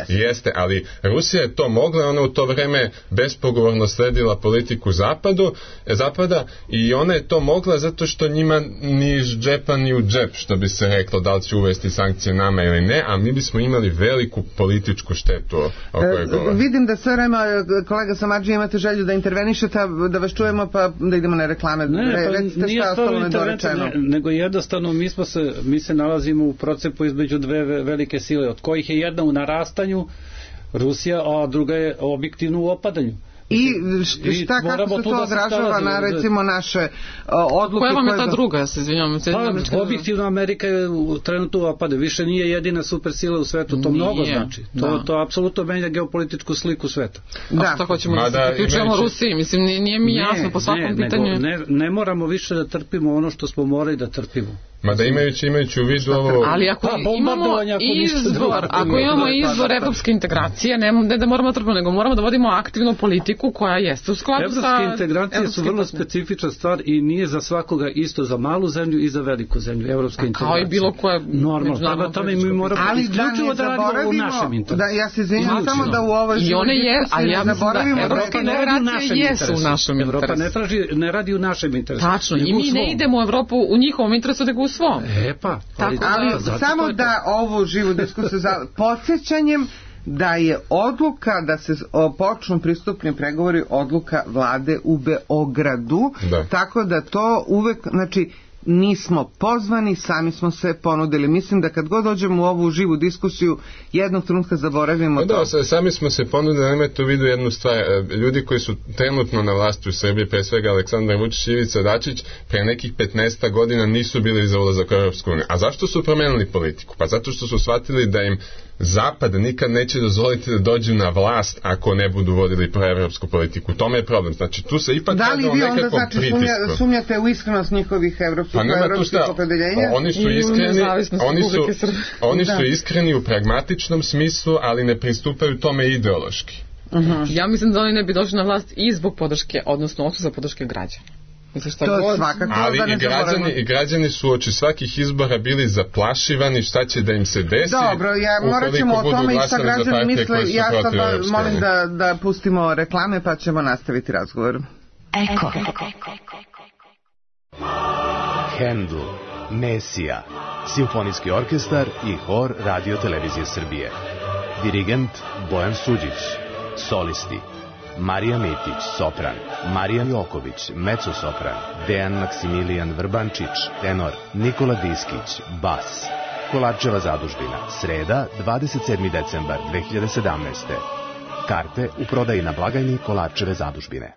[SPEAKER 5] jeste, ali Rusija je to mogla, ona u to vreme bespogovorno sledila politiku Zapada i ona je to mogla zato što njima ni iz džepa ni u džep, što bi se reklo, da li će uvesti sankcije nama ili ne, a mi bismo imali veliku političku štetu o kojoj govorim.
[SPEAKER 4] Vidim da sve vreme, kolega Samardžija, imate želju da intervenišete, da vas čujemo, pa da idemo na reklame. Recite šta je ostalo nedorečeno.
[SPEAKER 6] Nego jednostavno mi se nalazimo u procepu između dve velike sile, od kojih je jedna u narastanju, Rusija, a druga je objektivno u opadanju.
[SPEAKER 4] I šta, kako se to odražava na recimo naše odluke?
[SPEAKER 3] Koja vam je ta druga, ja se izvinjam?
[SPEAKER 6] Objektivno Amerika je trenutno u opade, više nije jedina supersila u svetu, to mnogo znači. To apsolutno menja geopolitičku sliku sveta.
[SPEAKER 3] A što hoćemo da se priključujemo Rusiji? Mislim, nije mi jasno po svakom pitanju.
[SPEAKER 6] Ne moramo više da trpimo ono što smo morali da trpimo.
[SPEAKER 5] Mada imajući u vidu ovo...
[SPEAKER 3] Ali ako imamo izbor evropske integracije, ne da moramo da trpimo, nego moramo da vodimo aktivnu politiku politiku koja jeste u skladu sa
[SPEAKER 6] evropske integracije su vrlo specifična stvar i nije za svakoga isto za malu zemlju i za veliku zemlju. Evropske integracije.
[SPEAKER 3] Kao i bilo koje
[SPEAKER 6] normalno. Tome mi moramo isključivo da radimo u našem interesu.
[SPEAKER 4] Ja se izvinjam samo da u ovoj
[SPEAKER 3] i one je, ali ja mislim da evropske integracije jesu u našem interesu.
[SPEAKER 6] Evropa ne radi u našem interesu.
[SPEAKER 3] Tačno, i mi ne idemo u Evropu u njihovom interesu, nego u svom.
[SPEAKER 4] Ali samo da ovu živu diskusiju podsjećanjem da je odluka da se počnu pristupni pregovori odluka vlade u Beogradu, tako da to uvek, znači nismo pozvani, sami smo se ponudili. Mislim da kad god dođemo u ovu živu diskusiju jednog trenutka zaboravimo to.
[SPEAKER 5] Sami smo se ponudili, nemojte u vidu jednu stvar. Ljudi koji su trenutno na vlasti u Srbiji, pre svega Aleksandar Vučić i Ivica Dačić, pre nekih 15 godina nisu bili za ulazak u Europsku uniju. A zašto su promenili politiku? Pa zato što su shvatili da im Zapad nikad neće dozvoliti da dođu na vlast ako ne budu vodili proevropsku politiku. To je problem. Znači tu se ipak
[SPEAKER 4] da li vi onda znači sumnjate u iskrenost njihovih evropskih opredeljenja?
[SPEAKER 5] Oni su iskreni u pragmatičnom smislu, ali ne pristupaju tome ideološki.
[SPEAKER 3] Ja mislim da oni ne bi došli na vlast i zbog podrške, odnosno odsustva podrške građana.
[SPEAKER 5] Ali i građani su oči svakih izbora bili zaplašivani šta će da im se desi.
[SPEAKER 4] Dobro, morat ćemo o tome i šta građani misle. Ja sad molim da pustimo reklame pa ćemo nastaviti razgovor.
[SPEAKER 2] Eko.
[SPEAKER 7] Handel, Mesija, simfonijski orkestar i hor Radio Televizije Srbije. Dirigent Bojan Suđić. Solisti Marija Mitić, sopran, Marija Joković, mezzo-sopran, Dejan Maksimilijan Vrbančić, tenor, Nikola Diskić, bas. Kolarčeva zadužbina, sreda, 27. decembar 2017. Karte u prodaji na blagajni Kolarčeve zadužbine.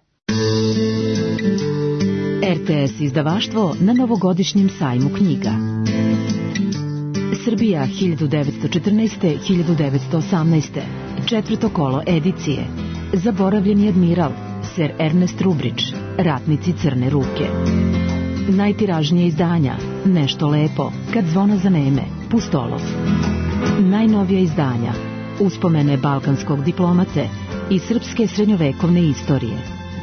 [SPEAKER 2] RTS izdavaštvo na novogodišnjem sajmu knjiga. Srbija 1914-1918. Četvrto kolo edicije. Zaboravljeni admiral, Sir Ernest Rubridge, Ratnici crne ruke. Najtiražnije izdanja, Nešto lepo, Kad zvona zaneme, Pustolov. Najnovija izdanja, Uspomene balkanskog diplomate i srpske srednjovekovne istorije,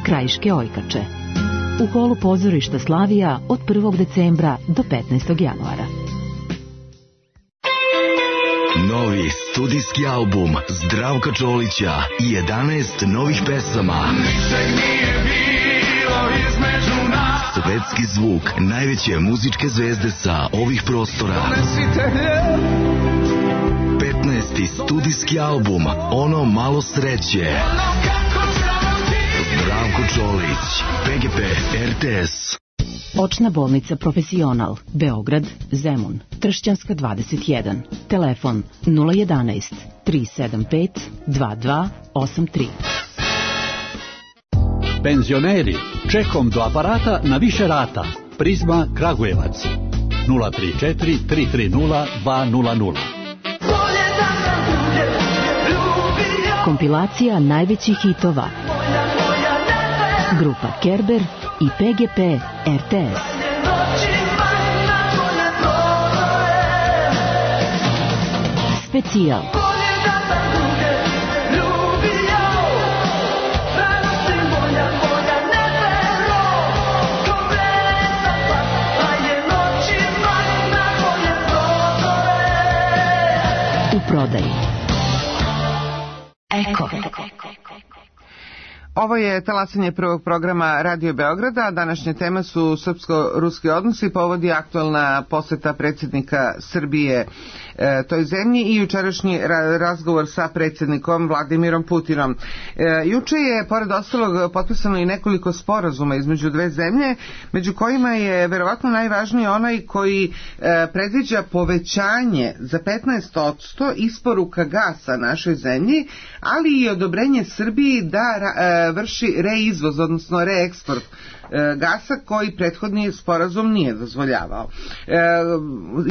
[SPEAKER 2] Krajiške ojkače. U holu pozorišta Slavija od 1. decembra do 15. januara.
[SPEAKER 8] Novi studijski album Zdravka Čolića i 11 novih pesama. Svetski zvuk najveće muzičke zvezde sa ovih prostora. 15. studijski album Ono malo sreće. Zdravko Čolić, PGP RTS.
[SPEAKER 2] Očna bolnica Profesional, Beograd, Zemun, Tršćanska 21, telefon 011 375 2283.
[SPEAKER 9] Penzioneri, čekom do aparata na više rata. Prizma Kragujevac 034 330 200.
[SPEAKER 2] Kompilacija najvećih hitova. Grupa Kerber i PGP RTS. Specijal. U prodaji. Eko.
[SPEAKER 4] Ovo je talasanje prvog programa Radio Beograda. Današnja tema su srpsko-ruski odnosi. Povod je aktualna poseta predsjednika Srbije toj zemlji i jučerašnji razgovor sa predsjednikom Vladimirom Putinom. Juče je, pored ostalog, potpisano i nekoliko sporazuma između dve zemlje, među kojima je verovatno najvažniji onaj koji predviđa povećanje za 15% isporuka gasa našoj zemlji, ali i odobrenje Srbiji da vrši reizvoz, odnosno reeksport gasa koji prethodni sporazum nije dozvoljavao.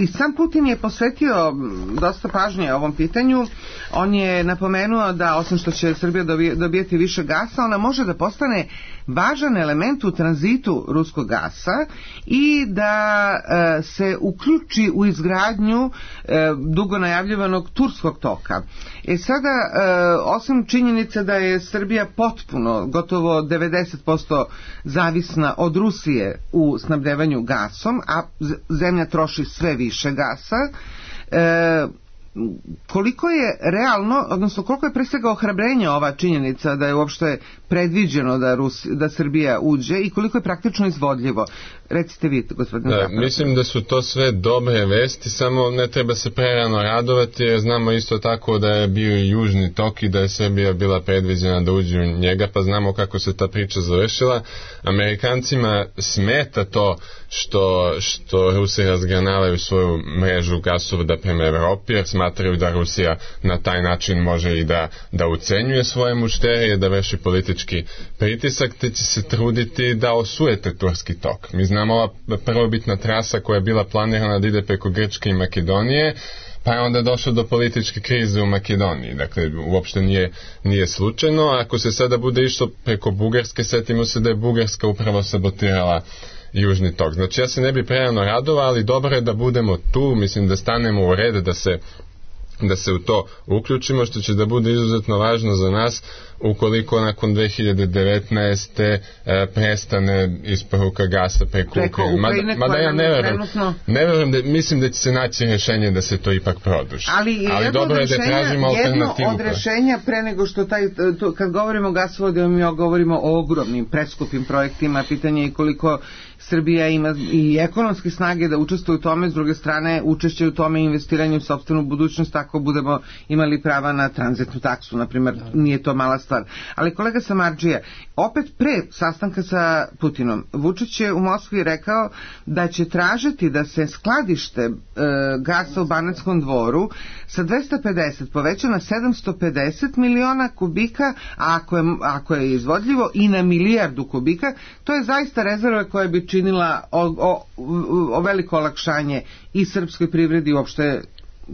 [SPEAKER 4] I sam Putin je posvetio dosta pažnje ovom pitanju. On je napomenuo da osim što će Srbija dobijeti više gasa, ona može da postane važan element u tranzitu ruskog gasa i da se uključi u izgradnju dugo najavljivanog turskog toka. Sada, osim činjenice da je Srbija potpuno, gotovo 90% zavisna od Rusije u snabdevanju gasom, a zemlja troši sve više gasa, koliko je realno, odnosno koliko je pre svega ohrabrenja ova činjenica da je uopšte predviđeno da Srbija uđe i koliko je praktično izvodljivo? Recite vi, gospodine Zapravo.
[SPEAKER 5] Mislim da su to sve dobre vesti, samo ne treba se prerano radovati, jer znamo isto tako da je bio i južni tok i da je Srbija bila predviđena da uđe u njega, pa znamo kako se ta priča završila. Amerikancima smeta to što Rusi razgranavaju svoju mrežu gasovoda prema Evropi, jer smatraju da Rusija na taj način može i da ucenjuje svoje mušterije, da vrši politički pritisak, te će se truditi da osujete turski tok. Mi znamo ova prvobitna trasa koja je bila planirana da ide preko Grčke i Makedonije, pa je onda došlo do političke krize u Makedoniji. Dakle, uopšte nije slučajno. Ako se sada bude išlo preko Bugarske, setimo se da je Bugarska upravo sabotirala južni tok. Znači, ja se ne bi prerano radovao, ali dobro je da budemo tu, mislim da stanemo u red, da se u to uključimo, što će da bude izuzetno važno za nas ukoliko nakon 2019. Prestane isporuka gasa preko Ukrajine. Mada ja ne verujem mislim da će se naći rješenje da se to ipak produži. Ali dobro je da tražimo alternativu.
[SPEAKER 4] Jedno od rješenja pre nego što kad govorimo o gasovodima, mi govorimo o ogromnim, preskupim projektima, pitanje je koliko Srbija ima i ekonomske snage da učestvuje u tome, s druge strane učešće u tome i investiranje u sopstvenu budućnost, ako budemo imali prava na tranzitnu taksu, na primjer, nije to mala stvar. Ali kolega Samardžija, opet pre sastanka sa Putinom, Vučić je u Moskvi rekao da će tražiti da se skladište gasa u Banatskom Dvoru sa 250 poveća na 750 miliona kubika, a ako je izvodljivo i na milijardu kubika. To je zaista rezerva koja bi činila o veliko olakšanje i srpskoj privredi i uopšte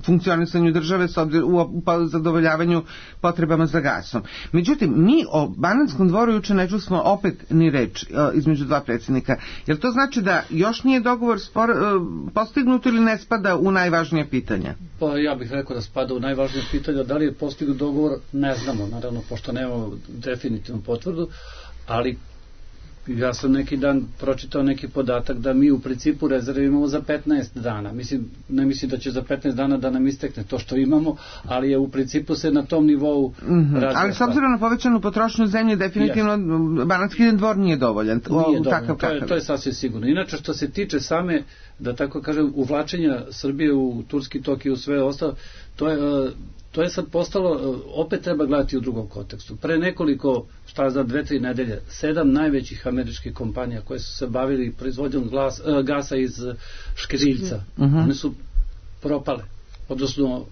[SPEAKER 4] funkcionisanju države u zadovoljavanju potrebama za gasom. Međutim, mi o Banatskom Dvoru juče ne čusmo opet ni reč između dva predsjednika. Jel to znači da još nije dogovor postignut ili ne spada u najvažnije pitanja?
[SPEAKER 6] Pa ja bih rekao da spada u najvažnije pitanja. Da li je postignut dogovor, ne znamo, naravno, pošto nemamo definitivnu potvrdu, ali ja sam neki dan pročitao neki podatak da mi u principu rezerve imamo za 15 dana. Ne mislim da će za 15 dana da nam istekne to što imamo, ali je u principu se na tom nivou razvija.
[SPEAKER 4] Ali s obzirom na povećanu potrošnju zemlje, definitivno Banatski Dvor nije dovoljan.
[SPEAKER 6] Nije dovoljan, to je sasvim sigurno. Inače, što se tiče same, da tako kažem, uvlačenja Srbije u turski tok i u sve ostalo, to je sad postalo, opet treba gledati u drugom kontekstu. Pre nekoliko, za 2-3 nedelje, 7 najvećih američkih kompanija koje su se bavili proizvodnjom gasa iz škriljca, one su propale. Odnosno,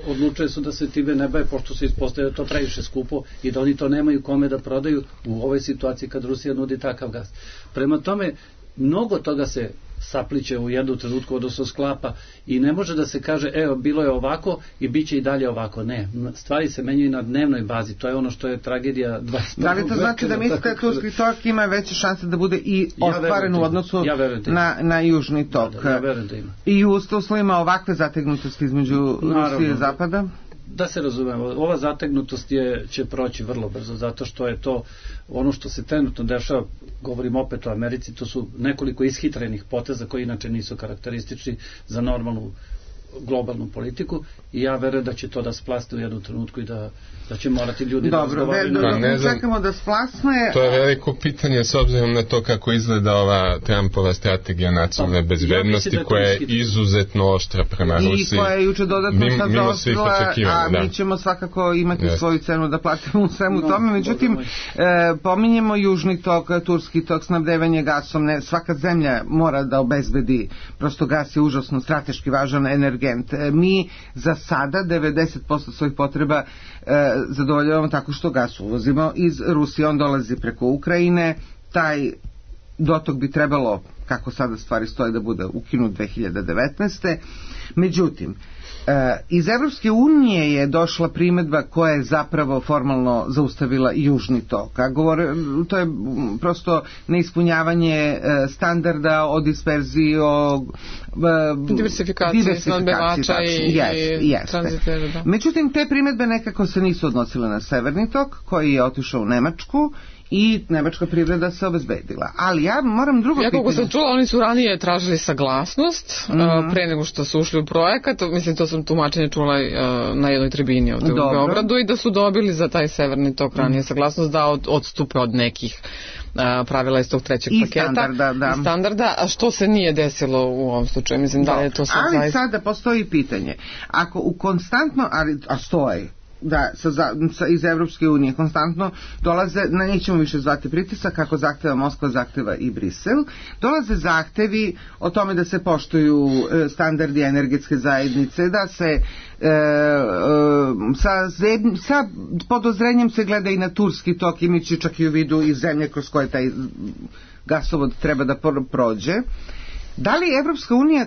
[SPEAKER 6] odlučuje su da se time ne bave, pošto se ispostavlja da to previše skupo i da oni to nemaju kome da prodaju u ovoj situaciji kad Rusija nudi takav gas. Prema tome, mnogo toga se sapliće u jednu trenutku, odnosno sklapa, i ne može da se kaže, evo, bilo je ovako i bit će i dalje ovako. Ne, stvari se menjaju na dnevnoj bazi, to je ono što je tragedija 21.
[SPEAKER 4] Da li to znači da mislite da turski tok ima veće šanse da bude i ostvaren u odnosu na južni tok?
[SPEAKER 6] Ja verujem da ima.
[SPEAKER 4] I u uslovima ovakve zategnutosti između Rusije i Zapada?
[SPEAKER 6] Da se razumemo, ova zategnutost će proći vrlo brzo, zato što je to ono što se trenutno dešava, govorim opet o Americi, to su nekoliko ishitrenih poteza koji inače nisu karakteristični za normalnu globalnu politiku, i ja verujem da će to da splasne u jednu trenutku i da će morati ljudi da razgovaraju.
[SPEAKER 4] Čekamo da splasne.
[SPEAKER 5] To je veliko pitanje s obzirom na to kako izgleda ova Trumpova strategija nacionalne bezbednosti, koja je izuzetno oštra prema Rusiji.
[SPEAKER 4] I koja je juče dodatno sad zaostrila, a mi ćemo svakako imati svoju cenu da platimo u svemu tome. Međutim, pominjemo južni tok, turski tok, snabdevanje gasom. Svaka zemlja mora da obezbedi, prosto gas je užasno strateški važan energent. Mi za sada 90% svojih potreba zadovoljavamo tako što gas uvozimo iz Rusije, on dolazi preko Ukrajine, taj dotok bi trebalo, kako sada stvari stoje, da bude ukinut 2019. Međutim, iz Evropske unije je došla primedba koja je zapravo formalno zaustavila Južni tok. To je prosto neispunjavanje standarda o disperziji, o
[SPEAKER 3] diversifikaciji snabdevača i tranzitera. Da.
[SPEAKER 4] Međutim, te primedbe nekako se nisu odnosile na Severni tok, koji je otišao u Nemačku, i nemačka privreda se obezbedila. Ali ja moram drugo pitanje.
[SPEAKER 3] Kako sam čula, oni su ranije tražili saglasnost pre nego što su ušli u projekat. Mislim, to sam tumačenje čula na jednoj tribini ovde u Beogradu, i da su dobili za taj Severni tok ranije saglasnost da odstupe od nekih pravila iz tog trećeg paketa i standarda, a što se nije desilo u ovom slučaju. Mislim da je to sad
[SPEAKER 4] ali sada postoji pitanje. Ako u konstantno, a stoji da iz Evropske unije konstantno dolaze, nećemo više zvati pritisak, kako zahteva Moskva, zahteva i Brisel, dolaze zahtevi o tome da se poštuju standardi energetske zajednice, da se sa podozrenjem se gleda i na Turski tok, imajući čak i u vidu i zemlje kroz koje taj gasovod treba da prođe. Da li Evropska unija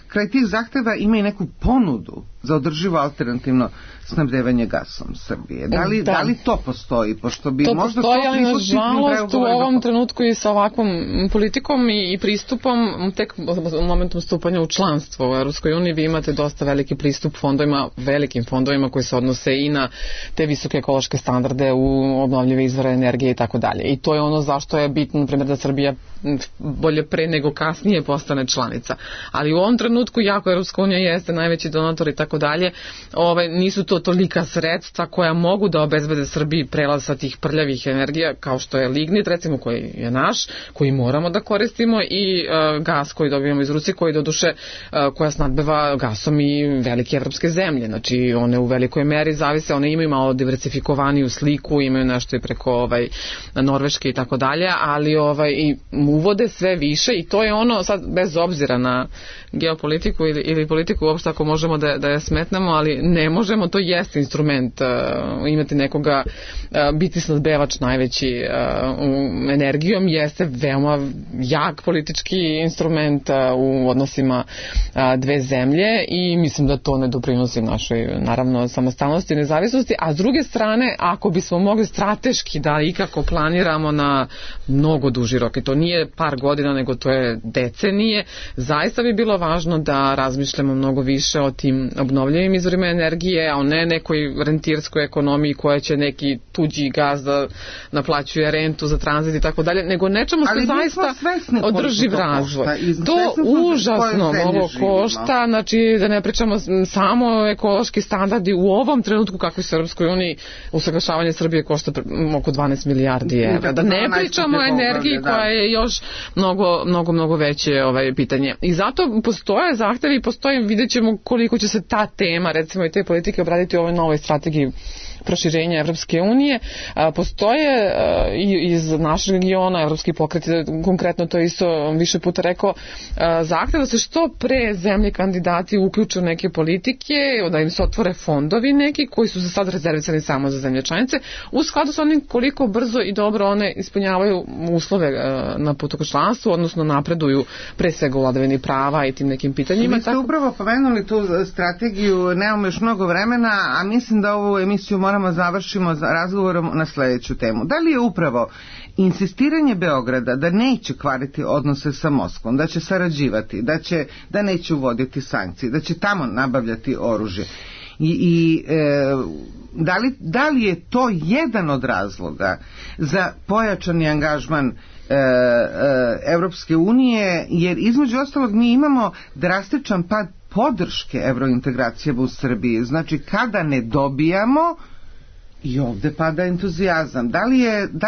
[SPEAKER 4] kraj tih zahteva ima i neku ponudu za održivo alternativno snabdevanje gasom Srbije? Da li to postoji? Pošto bi
[SPEAKER 3] to
[SPEAKER 4] možda
[SPEAKER 3] postoji, ali nažalost u ovom trenutku i sa ovakvom politikom i pristupom, tek u momentom stupanja u članstvo u Evropskoj uniji vi imate dosta veliki pristup fondovima, velikim fondovima koji se odnose i na te visoke ekološke standarde u obnovljive izvore energije i tako dalje. I to je ono zašto je bitno, na primjer, da Srbija bolje pre nego kasnije postane članica. Ali u ovom trenutku, jako Evropska unija jeste najveći donator i tako dalje, nisu to tolika sredstva koja mogu da obezbede Srbiji prelaz sa tih prljavih energija, kao što je lignit, recimo, koji je naš, koji moramo da koristimo, i gas koji dobijamo iz Rusije, koji doduše koja snadbeva gasom i velike evropske zemlje. Znači, one u velikoj meri zavise, one imaju malo diversifikovaniju sliku, imaju nešto i preko Norveške i tako dalje, ali i uvode sve više, i to je ono sad bez obzira na geopolitiku ili politiku uopšte, ako možemo da je smetnemo, ali ne možemo, to jeste instrument imati nekoga, biti snadbevač najveći energijom jeste veoma jak politički instrument u odnosima dve zemlje, i mislim da to ne doprinosi našoj, naravno, samostalnosti i nezavisnosti. A s druge strane, ako bismo mogli strateški da ikako planiramo na mnogo duži rok, i to nije par godina, nego to je decenije, zaista bi bilo važno da razmišljamo mnogo više o tim obnovljivim izvorima energije, a ne nekoj rentirskoj ekonomiji koja će neki tuđi gaz da naplaćuje rentu za tranzit i tako dalje, nego nečemu što zaista održiv razvoj. To užasno mnogo košta, znači da ne pričamo samo ekološki standardi u ovom trenutku kako se u Europskoj uniji usaglašavanje Srbije košta oko 12 milijardi evra. Da ne pričamo o energiji koja je još mnogo veće pitanje. I zato postoje zahtevi, vidjet ćemo koliko će se ta tema, recimo i te politike, obraditi u ovoj novoj strategiji proširenja Evropske unije. Postoje iz našeg regiona, Evropski pokret, konkretno to isto više puta rekao, zahtev da se što pre zemlje kandidati uključe u neke politike, da im se otvore fondovi neki koji su za sad rezervisani samo za zemlje članice, u skladu sa onim koliko brzo i dobro one ispunjavaju uslove na putu ka članstvu, odnosno napreduju pre svega u vladavini prava i tim nekim pitanjima.
[SPEAKER 4] Vi ste upravo pomenuli tu strategiju, nemamo još mnogo vremena, a mislim da ovu emisiju moramo završimo razgovorom na sledeću temu. Da li je upravo insistiranje Beograda da neće kvariti odnose sa Moskvom, da će sarađivati, da neće uvoditi sankcije, da će tamo nabavljati oružje, da li je to jedan od razloga za pojačani angažman Evropske unije, jer između ostalog mi imamo drastičan pad podrške evrointegracijama u Srbiji. Znači, kada ne dobijamo, i ovde pada entuzijazam. Da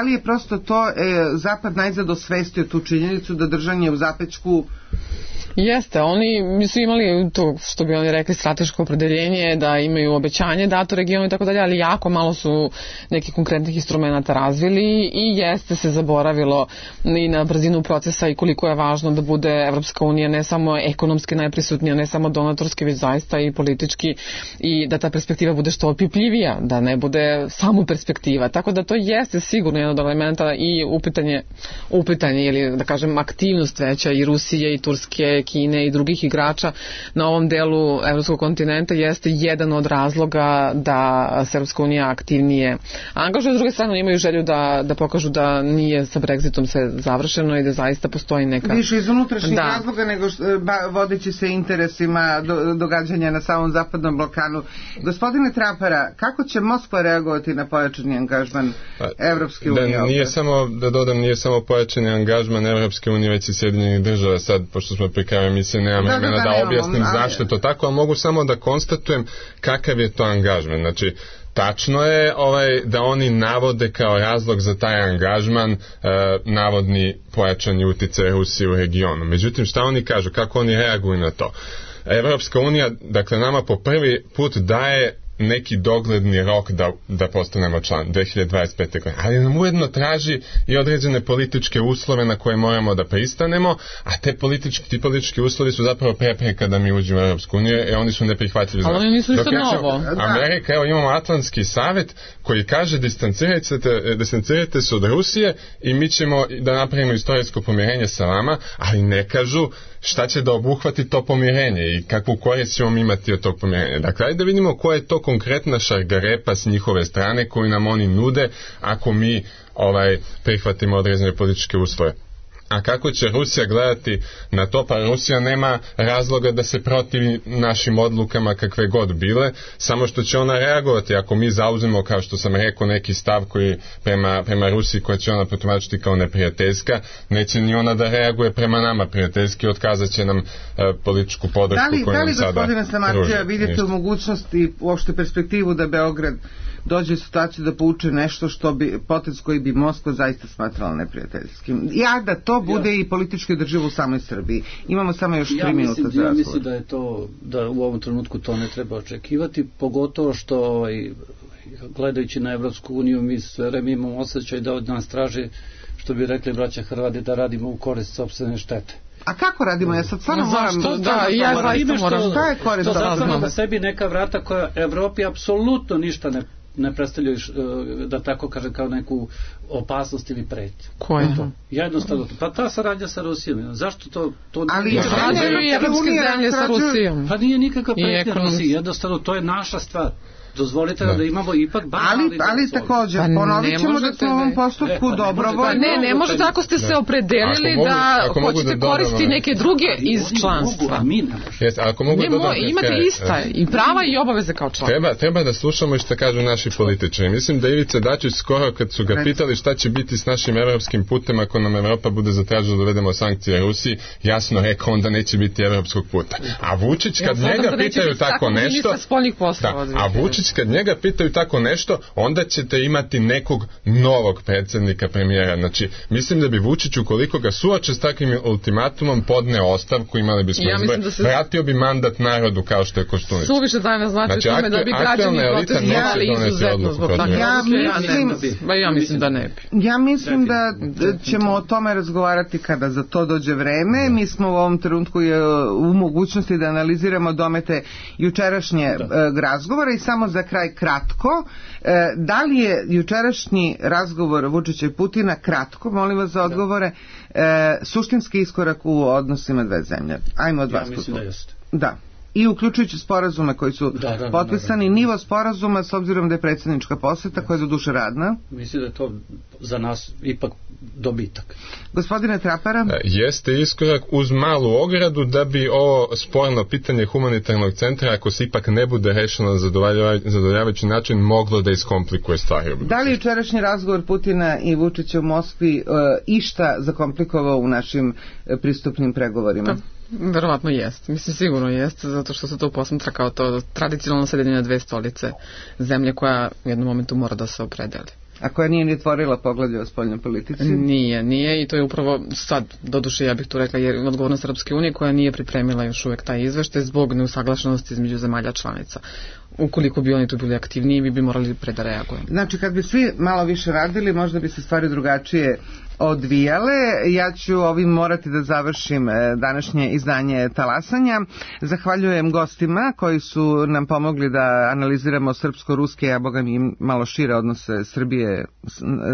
[SPEAKER 4] li je prosto to Zapad najzad osvestio tu činjenicu da držanje u zapećku
[SPEAKER 3] Jeste, oni su imali to što bi oni rekli strateško opredeljenje, da imaju obećanje dato regionu i tako dalje, ali jako malo su nekih konkretnih instrumenta razvili i jeste se zaboravilo i na brzinu procesa i koliko je važno da bude Evropska unija ne samo ekonomski najprisutnija, ne samo donatorski, već zaista i politički, i da ta perspektiva bude što opipljivija, da ne bude samo perspektiva. Tako da to jeste sigurno jedan od elementa i upitanje ili da kažem aktivnost veća i Rusije i Turske, Kine i drugih igrača na ovom delu evropskog kontinenta jeste jedan od razloga da se Evropska unija aktivnije angažuje. S druge strane imaju želju da pokažu da nije sa Brexitom sve završeno i da zaista postoji neka...
[SPEAKER 4] Više iz unutrašnjih razloga nego vodeći se interesima događanja na samom zapadnom Balkanu. Gospodine Trapara, kako će Moskva reagovati na pojačani angažman Evropske unije?
[SPEAKER 5] Nije samo pojačani angažman Evropske unije, već i Sjedinjenih država. Sad, pošto smo pri kraju emisije, nemam vremena da objasnim zašto je to tako, ali mogu samo da konstatujem kakav je to angažman. Znači, tačno je da oni navode kao razlog za taj angažman navodni pojačani uticaj Rusije u regionu. Međutim, šta oni kažu, kako oni reaguju na to? Evropska unija, dakle, nama po prvi put daje neki dogledni rok da postanemo član 2025. godine. Ali nam ujedno traži i određene političke uslove na koje moramo da pristanemo, a ti politički uslovi su zapravo prepreka da mi uđemo u Europsku uniju, oni su neprihvatljivi.
[SPEAKER 3] Ali oni nisu ništa novo.
[SPEAKER 5] Amerika, evo imamo Atlantski savjet koji kaže distancirajte se od Rusije i mi ćemo da napravimo istorijsko pomirenje sa vama, ali ne kažu šta će da obuhvati to pomirenje i kakvu korist ćemo imati od tog pomirenja. Dakle, ajde da vidimo koja je to konkretna šargarepa s njihove strane koju nam oni nude ako mi prihvatimo određene političke uslove. A kako će Rusija gledati na to? Pa Rusija nema razloga da se protivi našim odlukama kakve god bile, samo što će ona reagovati ako mi zauzmemo, kao što sam rekao, neki stav koji prema Rusiji koja će ona protumačiti kao neprijateljska, neće ni ona da reaguje prema nama prijateljski, otkazat će nam političku podršku koju nam sada pruža.
[SPEAKER 4] Gospodine Samarđija, vidite u mogućnosti i uopšte perspektivu da Beograd dođe u situaciju da pouče nešto potez koji bi Moskva zaista smatrala neprijateljskim. Ja da to bude i politički održivo u samoj Srbiji. Imamo samo još 3 minuta za razgovor.
[SPEAKER 6] Ja mislim da je to, da u ovom trenutku to ne treba očekivati, pogotovo što gledajući na Evropsku uniju mi sve vreme imamo osjećaj da od nas traži, što bi rekli braća Hrvati, da radimo u korist sopstvene štete.
[SPEAKER 4] A kako radimo? Ja sad stvarno moram...
[SPEAKER 3] Ja zaista moram...
[SPEAKER 4] Šta je korist?
[SPEAKER 6] To zatvorimo na sebi neka vrata koja Evropi apsolutno ništa ne predstavljaju, da tako kažem, kao neku opasnost ili pretnju.
[SPEAKER 3] Ko je to?
[SPEAKER 6] Jednostavno, pa ta saradnja sa Rusijom. Zašto to
[SPEAKER 3] ali sarađuju i evropske zemlje sa Rusijom.
[SPEAKER 6] Pa nije nikakva pretnja Rusiji, jednostavno to je naša stvar. Dozvolite da imamo ipak
[SPEAKER 4] ali također ponovit ćemo da smo u ovom postupku dobrovoljno.
[SPEAKER 3] Ne možete ako ste se opredelili da hoćete koristiti neke druge iz članstva. Imate ista i prava i obaveze kao član.
[SPEAKER 5] Treba da slušamo i što kažu naši političari. Mislim da Ivica Dačić skoro kad su ga pitali šta će biti s našim evropskim putem ako nam Evropa bude zatražila da uvedemo sankcije Rusiji, jasno rekao onda neće biti evropskog puta. A Vučić kad njega pitaju tako nešto, a Vučić kad njega pitaju tako nešto, onda ćete imati nekog novog predsjednika, premijera. Znači, mislim da bi Vučić, ukoliko ga suoče s takvim ultimatumom, podneo ostavku, imali bismo izbor, vratio bi mandat narodu kao što je Koštunica.
[SPEAKER 3] Suviše danas znači tome da bi građani protestovali izuzetno zbog toga. Ja mislim da ne bi.
[SPEAKER 4] Ja mislim da ćemo o tome razgovarati kada za to dođe vreme. Mi smo u ovom trenutku u mogućnosti da analiziramo domete jučerašnje razgovora i samo za kraj kratko. Da li je jučerašnji razgovor Vučića i Putina, kratko, molim vas za odgovore, suštinski iskorak u odnosima dve zemlje? Ajmo od vas.
[SPEAKER 6] Ja mislim da jeste.
[SPEAKER 4] Da. I uključujući sporazume koji su potpisani, nivo sporazuma s obzirom da je predsjednička poseta koja je za duše radna.
[SPEAKER 6] Mislim da je to za nas ipak dobitak.
[SPEAKER 4] Gospodine Trapara?
[SPEAKER 5] Jeste iskorak uz malu ogradu da bi ovo sporno pitanje humanitarnog centra, ako se ipak ne bude rešeno na zadovoljavajući način, moglo da iskomplikuje stvari.
[SPEAKER 4] Da li jučerašnji razgovor Putina i Vučića u Moskvi išta zakomplikovao u našim pristupnim pregovorima?
[SPEAKER 3] Verovatno jest. Mislim, sigurno jest, zato što se to posmatra kao to tradicionalno sedenje na dve stolice zemlje koja u jednom momentu mora da se opredeli.
[SPEAKER 4] A koja nije ni otvorila poglavlje o spoljnoj politici?
[SPEAKER 3] Nije i to je upravo sad, doduše ja bih tu rekla, jer odgovornost Srpske unije koja nije pripremila još uvek taj izveštaj zbog neusaglašenosti između zemalja članica. Ukoliko bi oni tu bili aktivniji, mi bi morali pre da reagujemo.
[SPEAKER 4] Znači, kad bi svi malo više radili, možda bi se stvari drugačije odvijale. Ja ću ovim morati da završim današnje izdanje Talasanja. Zahvaljujem gostima koji su nam pomogli da analiziramo srpsko-ruske, a boga mi malo šire odnose Srbije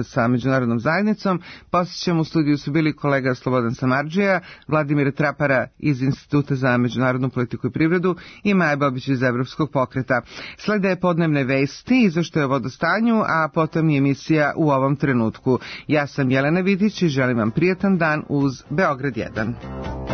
[SPEAKER 4] sa međunarodnom zajednicom. Posjećam, u studiju su bili kolega Slobodan Samardžija, Vladimir Trapara iz Instituta za međunarodnu politiku i privredu i Maja Bobić iz Evropskog pokreta. Slede podnevne vesti, izveštaj o vodostanju, a potom i emisija U ovom trenutku. Ja sam Jelena Vidić i želim vam prijatan dan uz Beograd 1.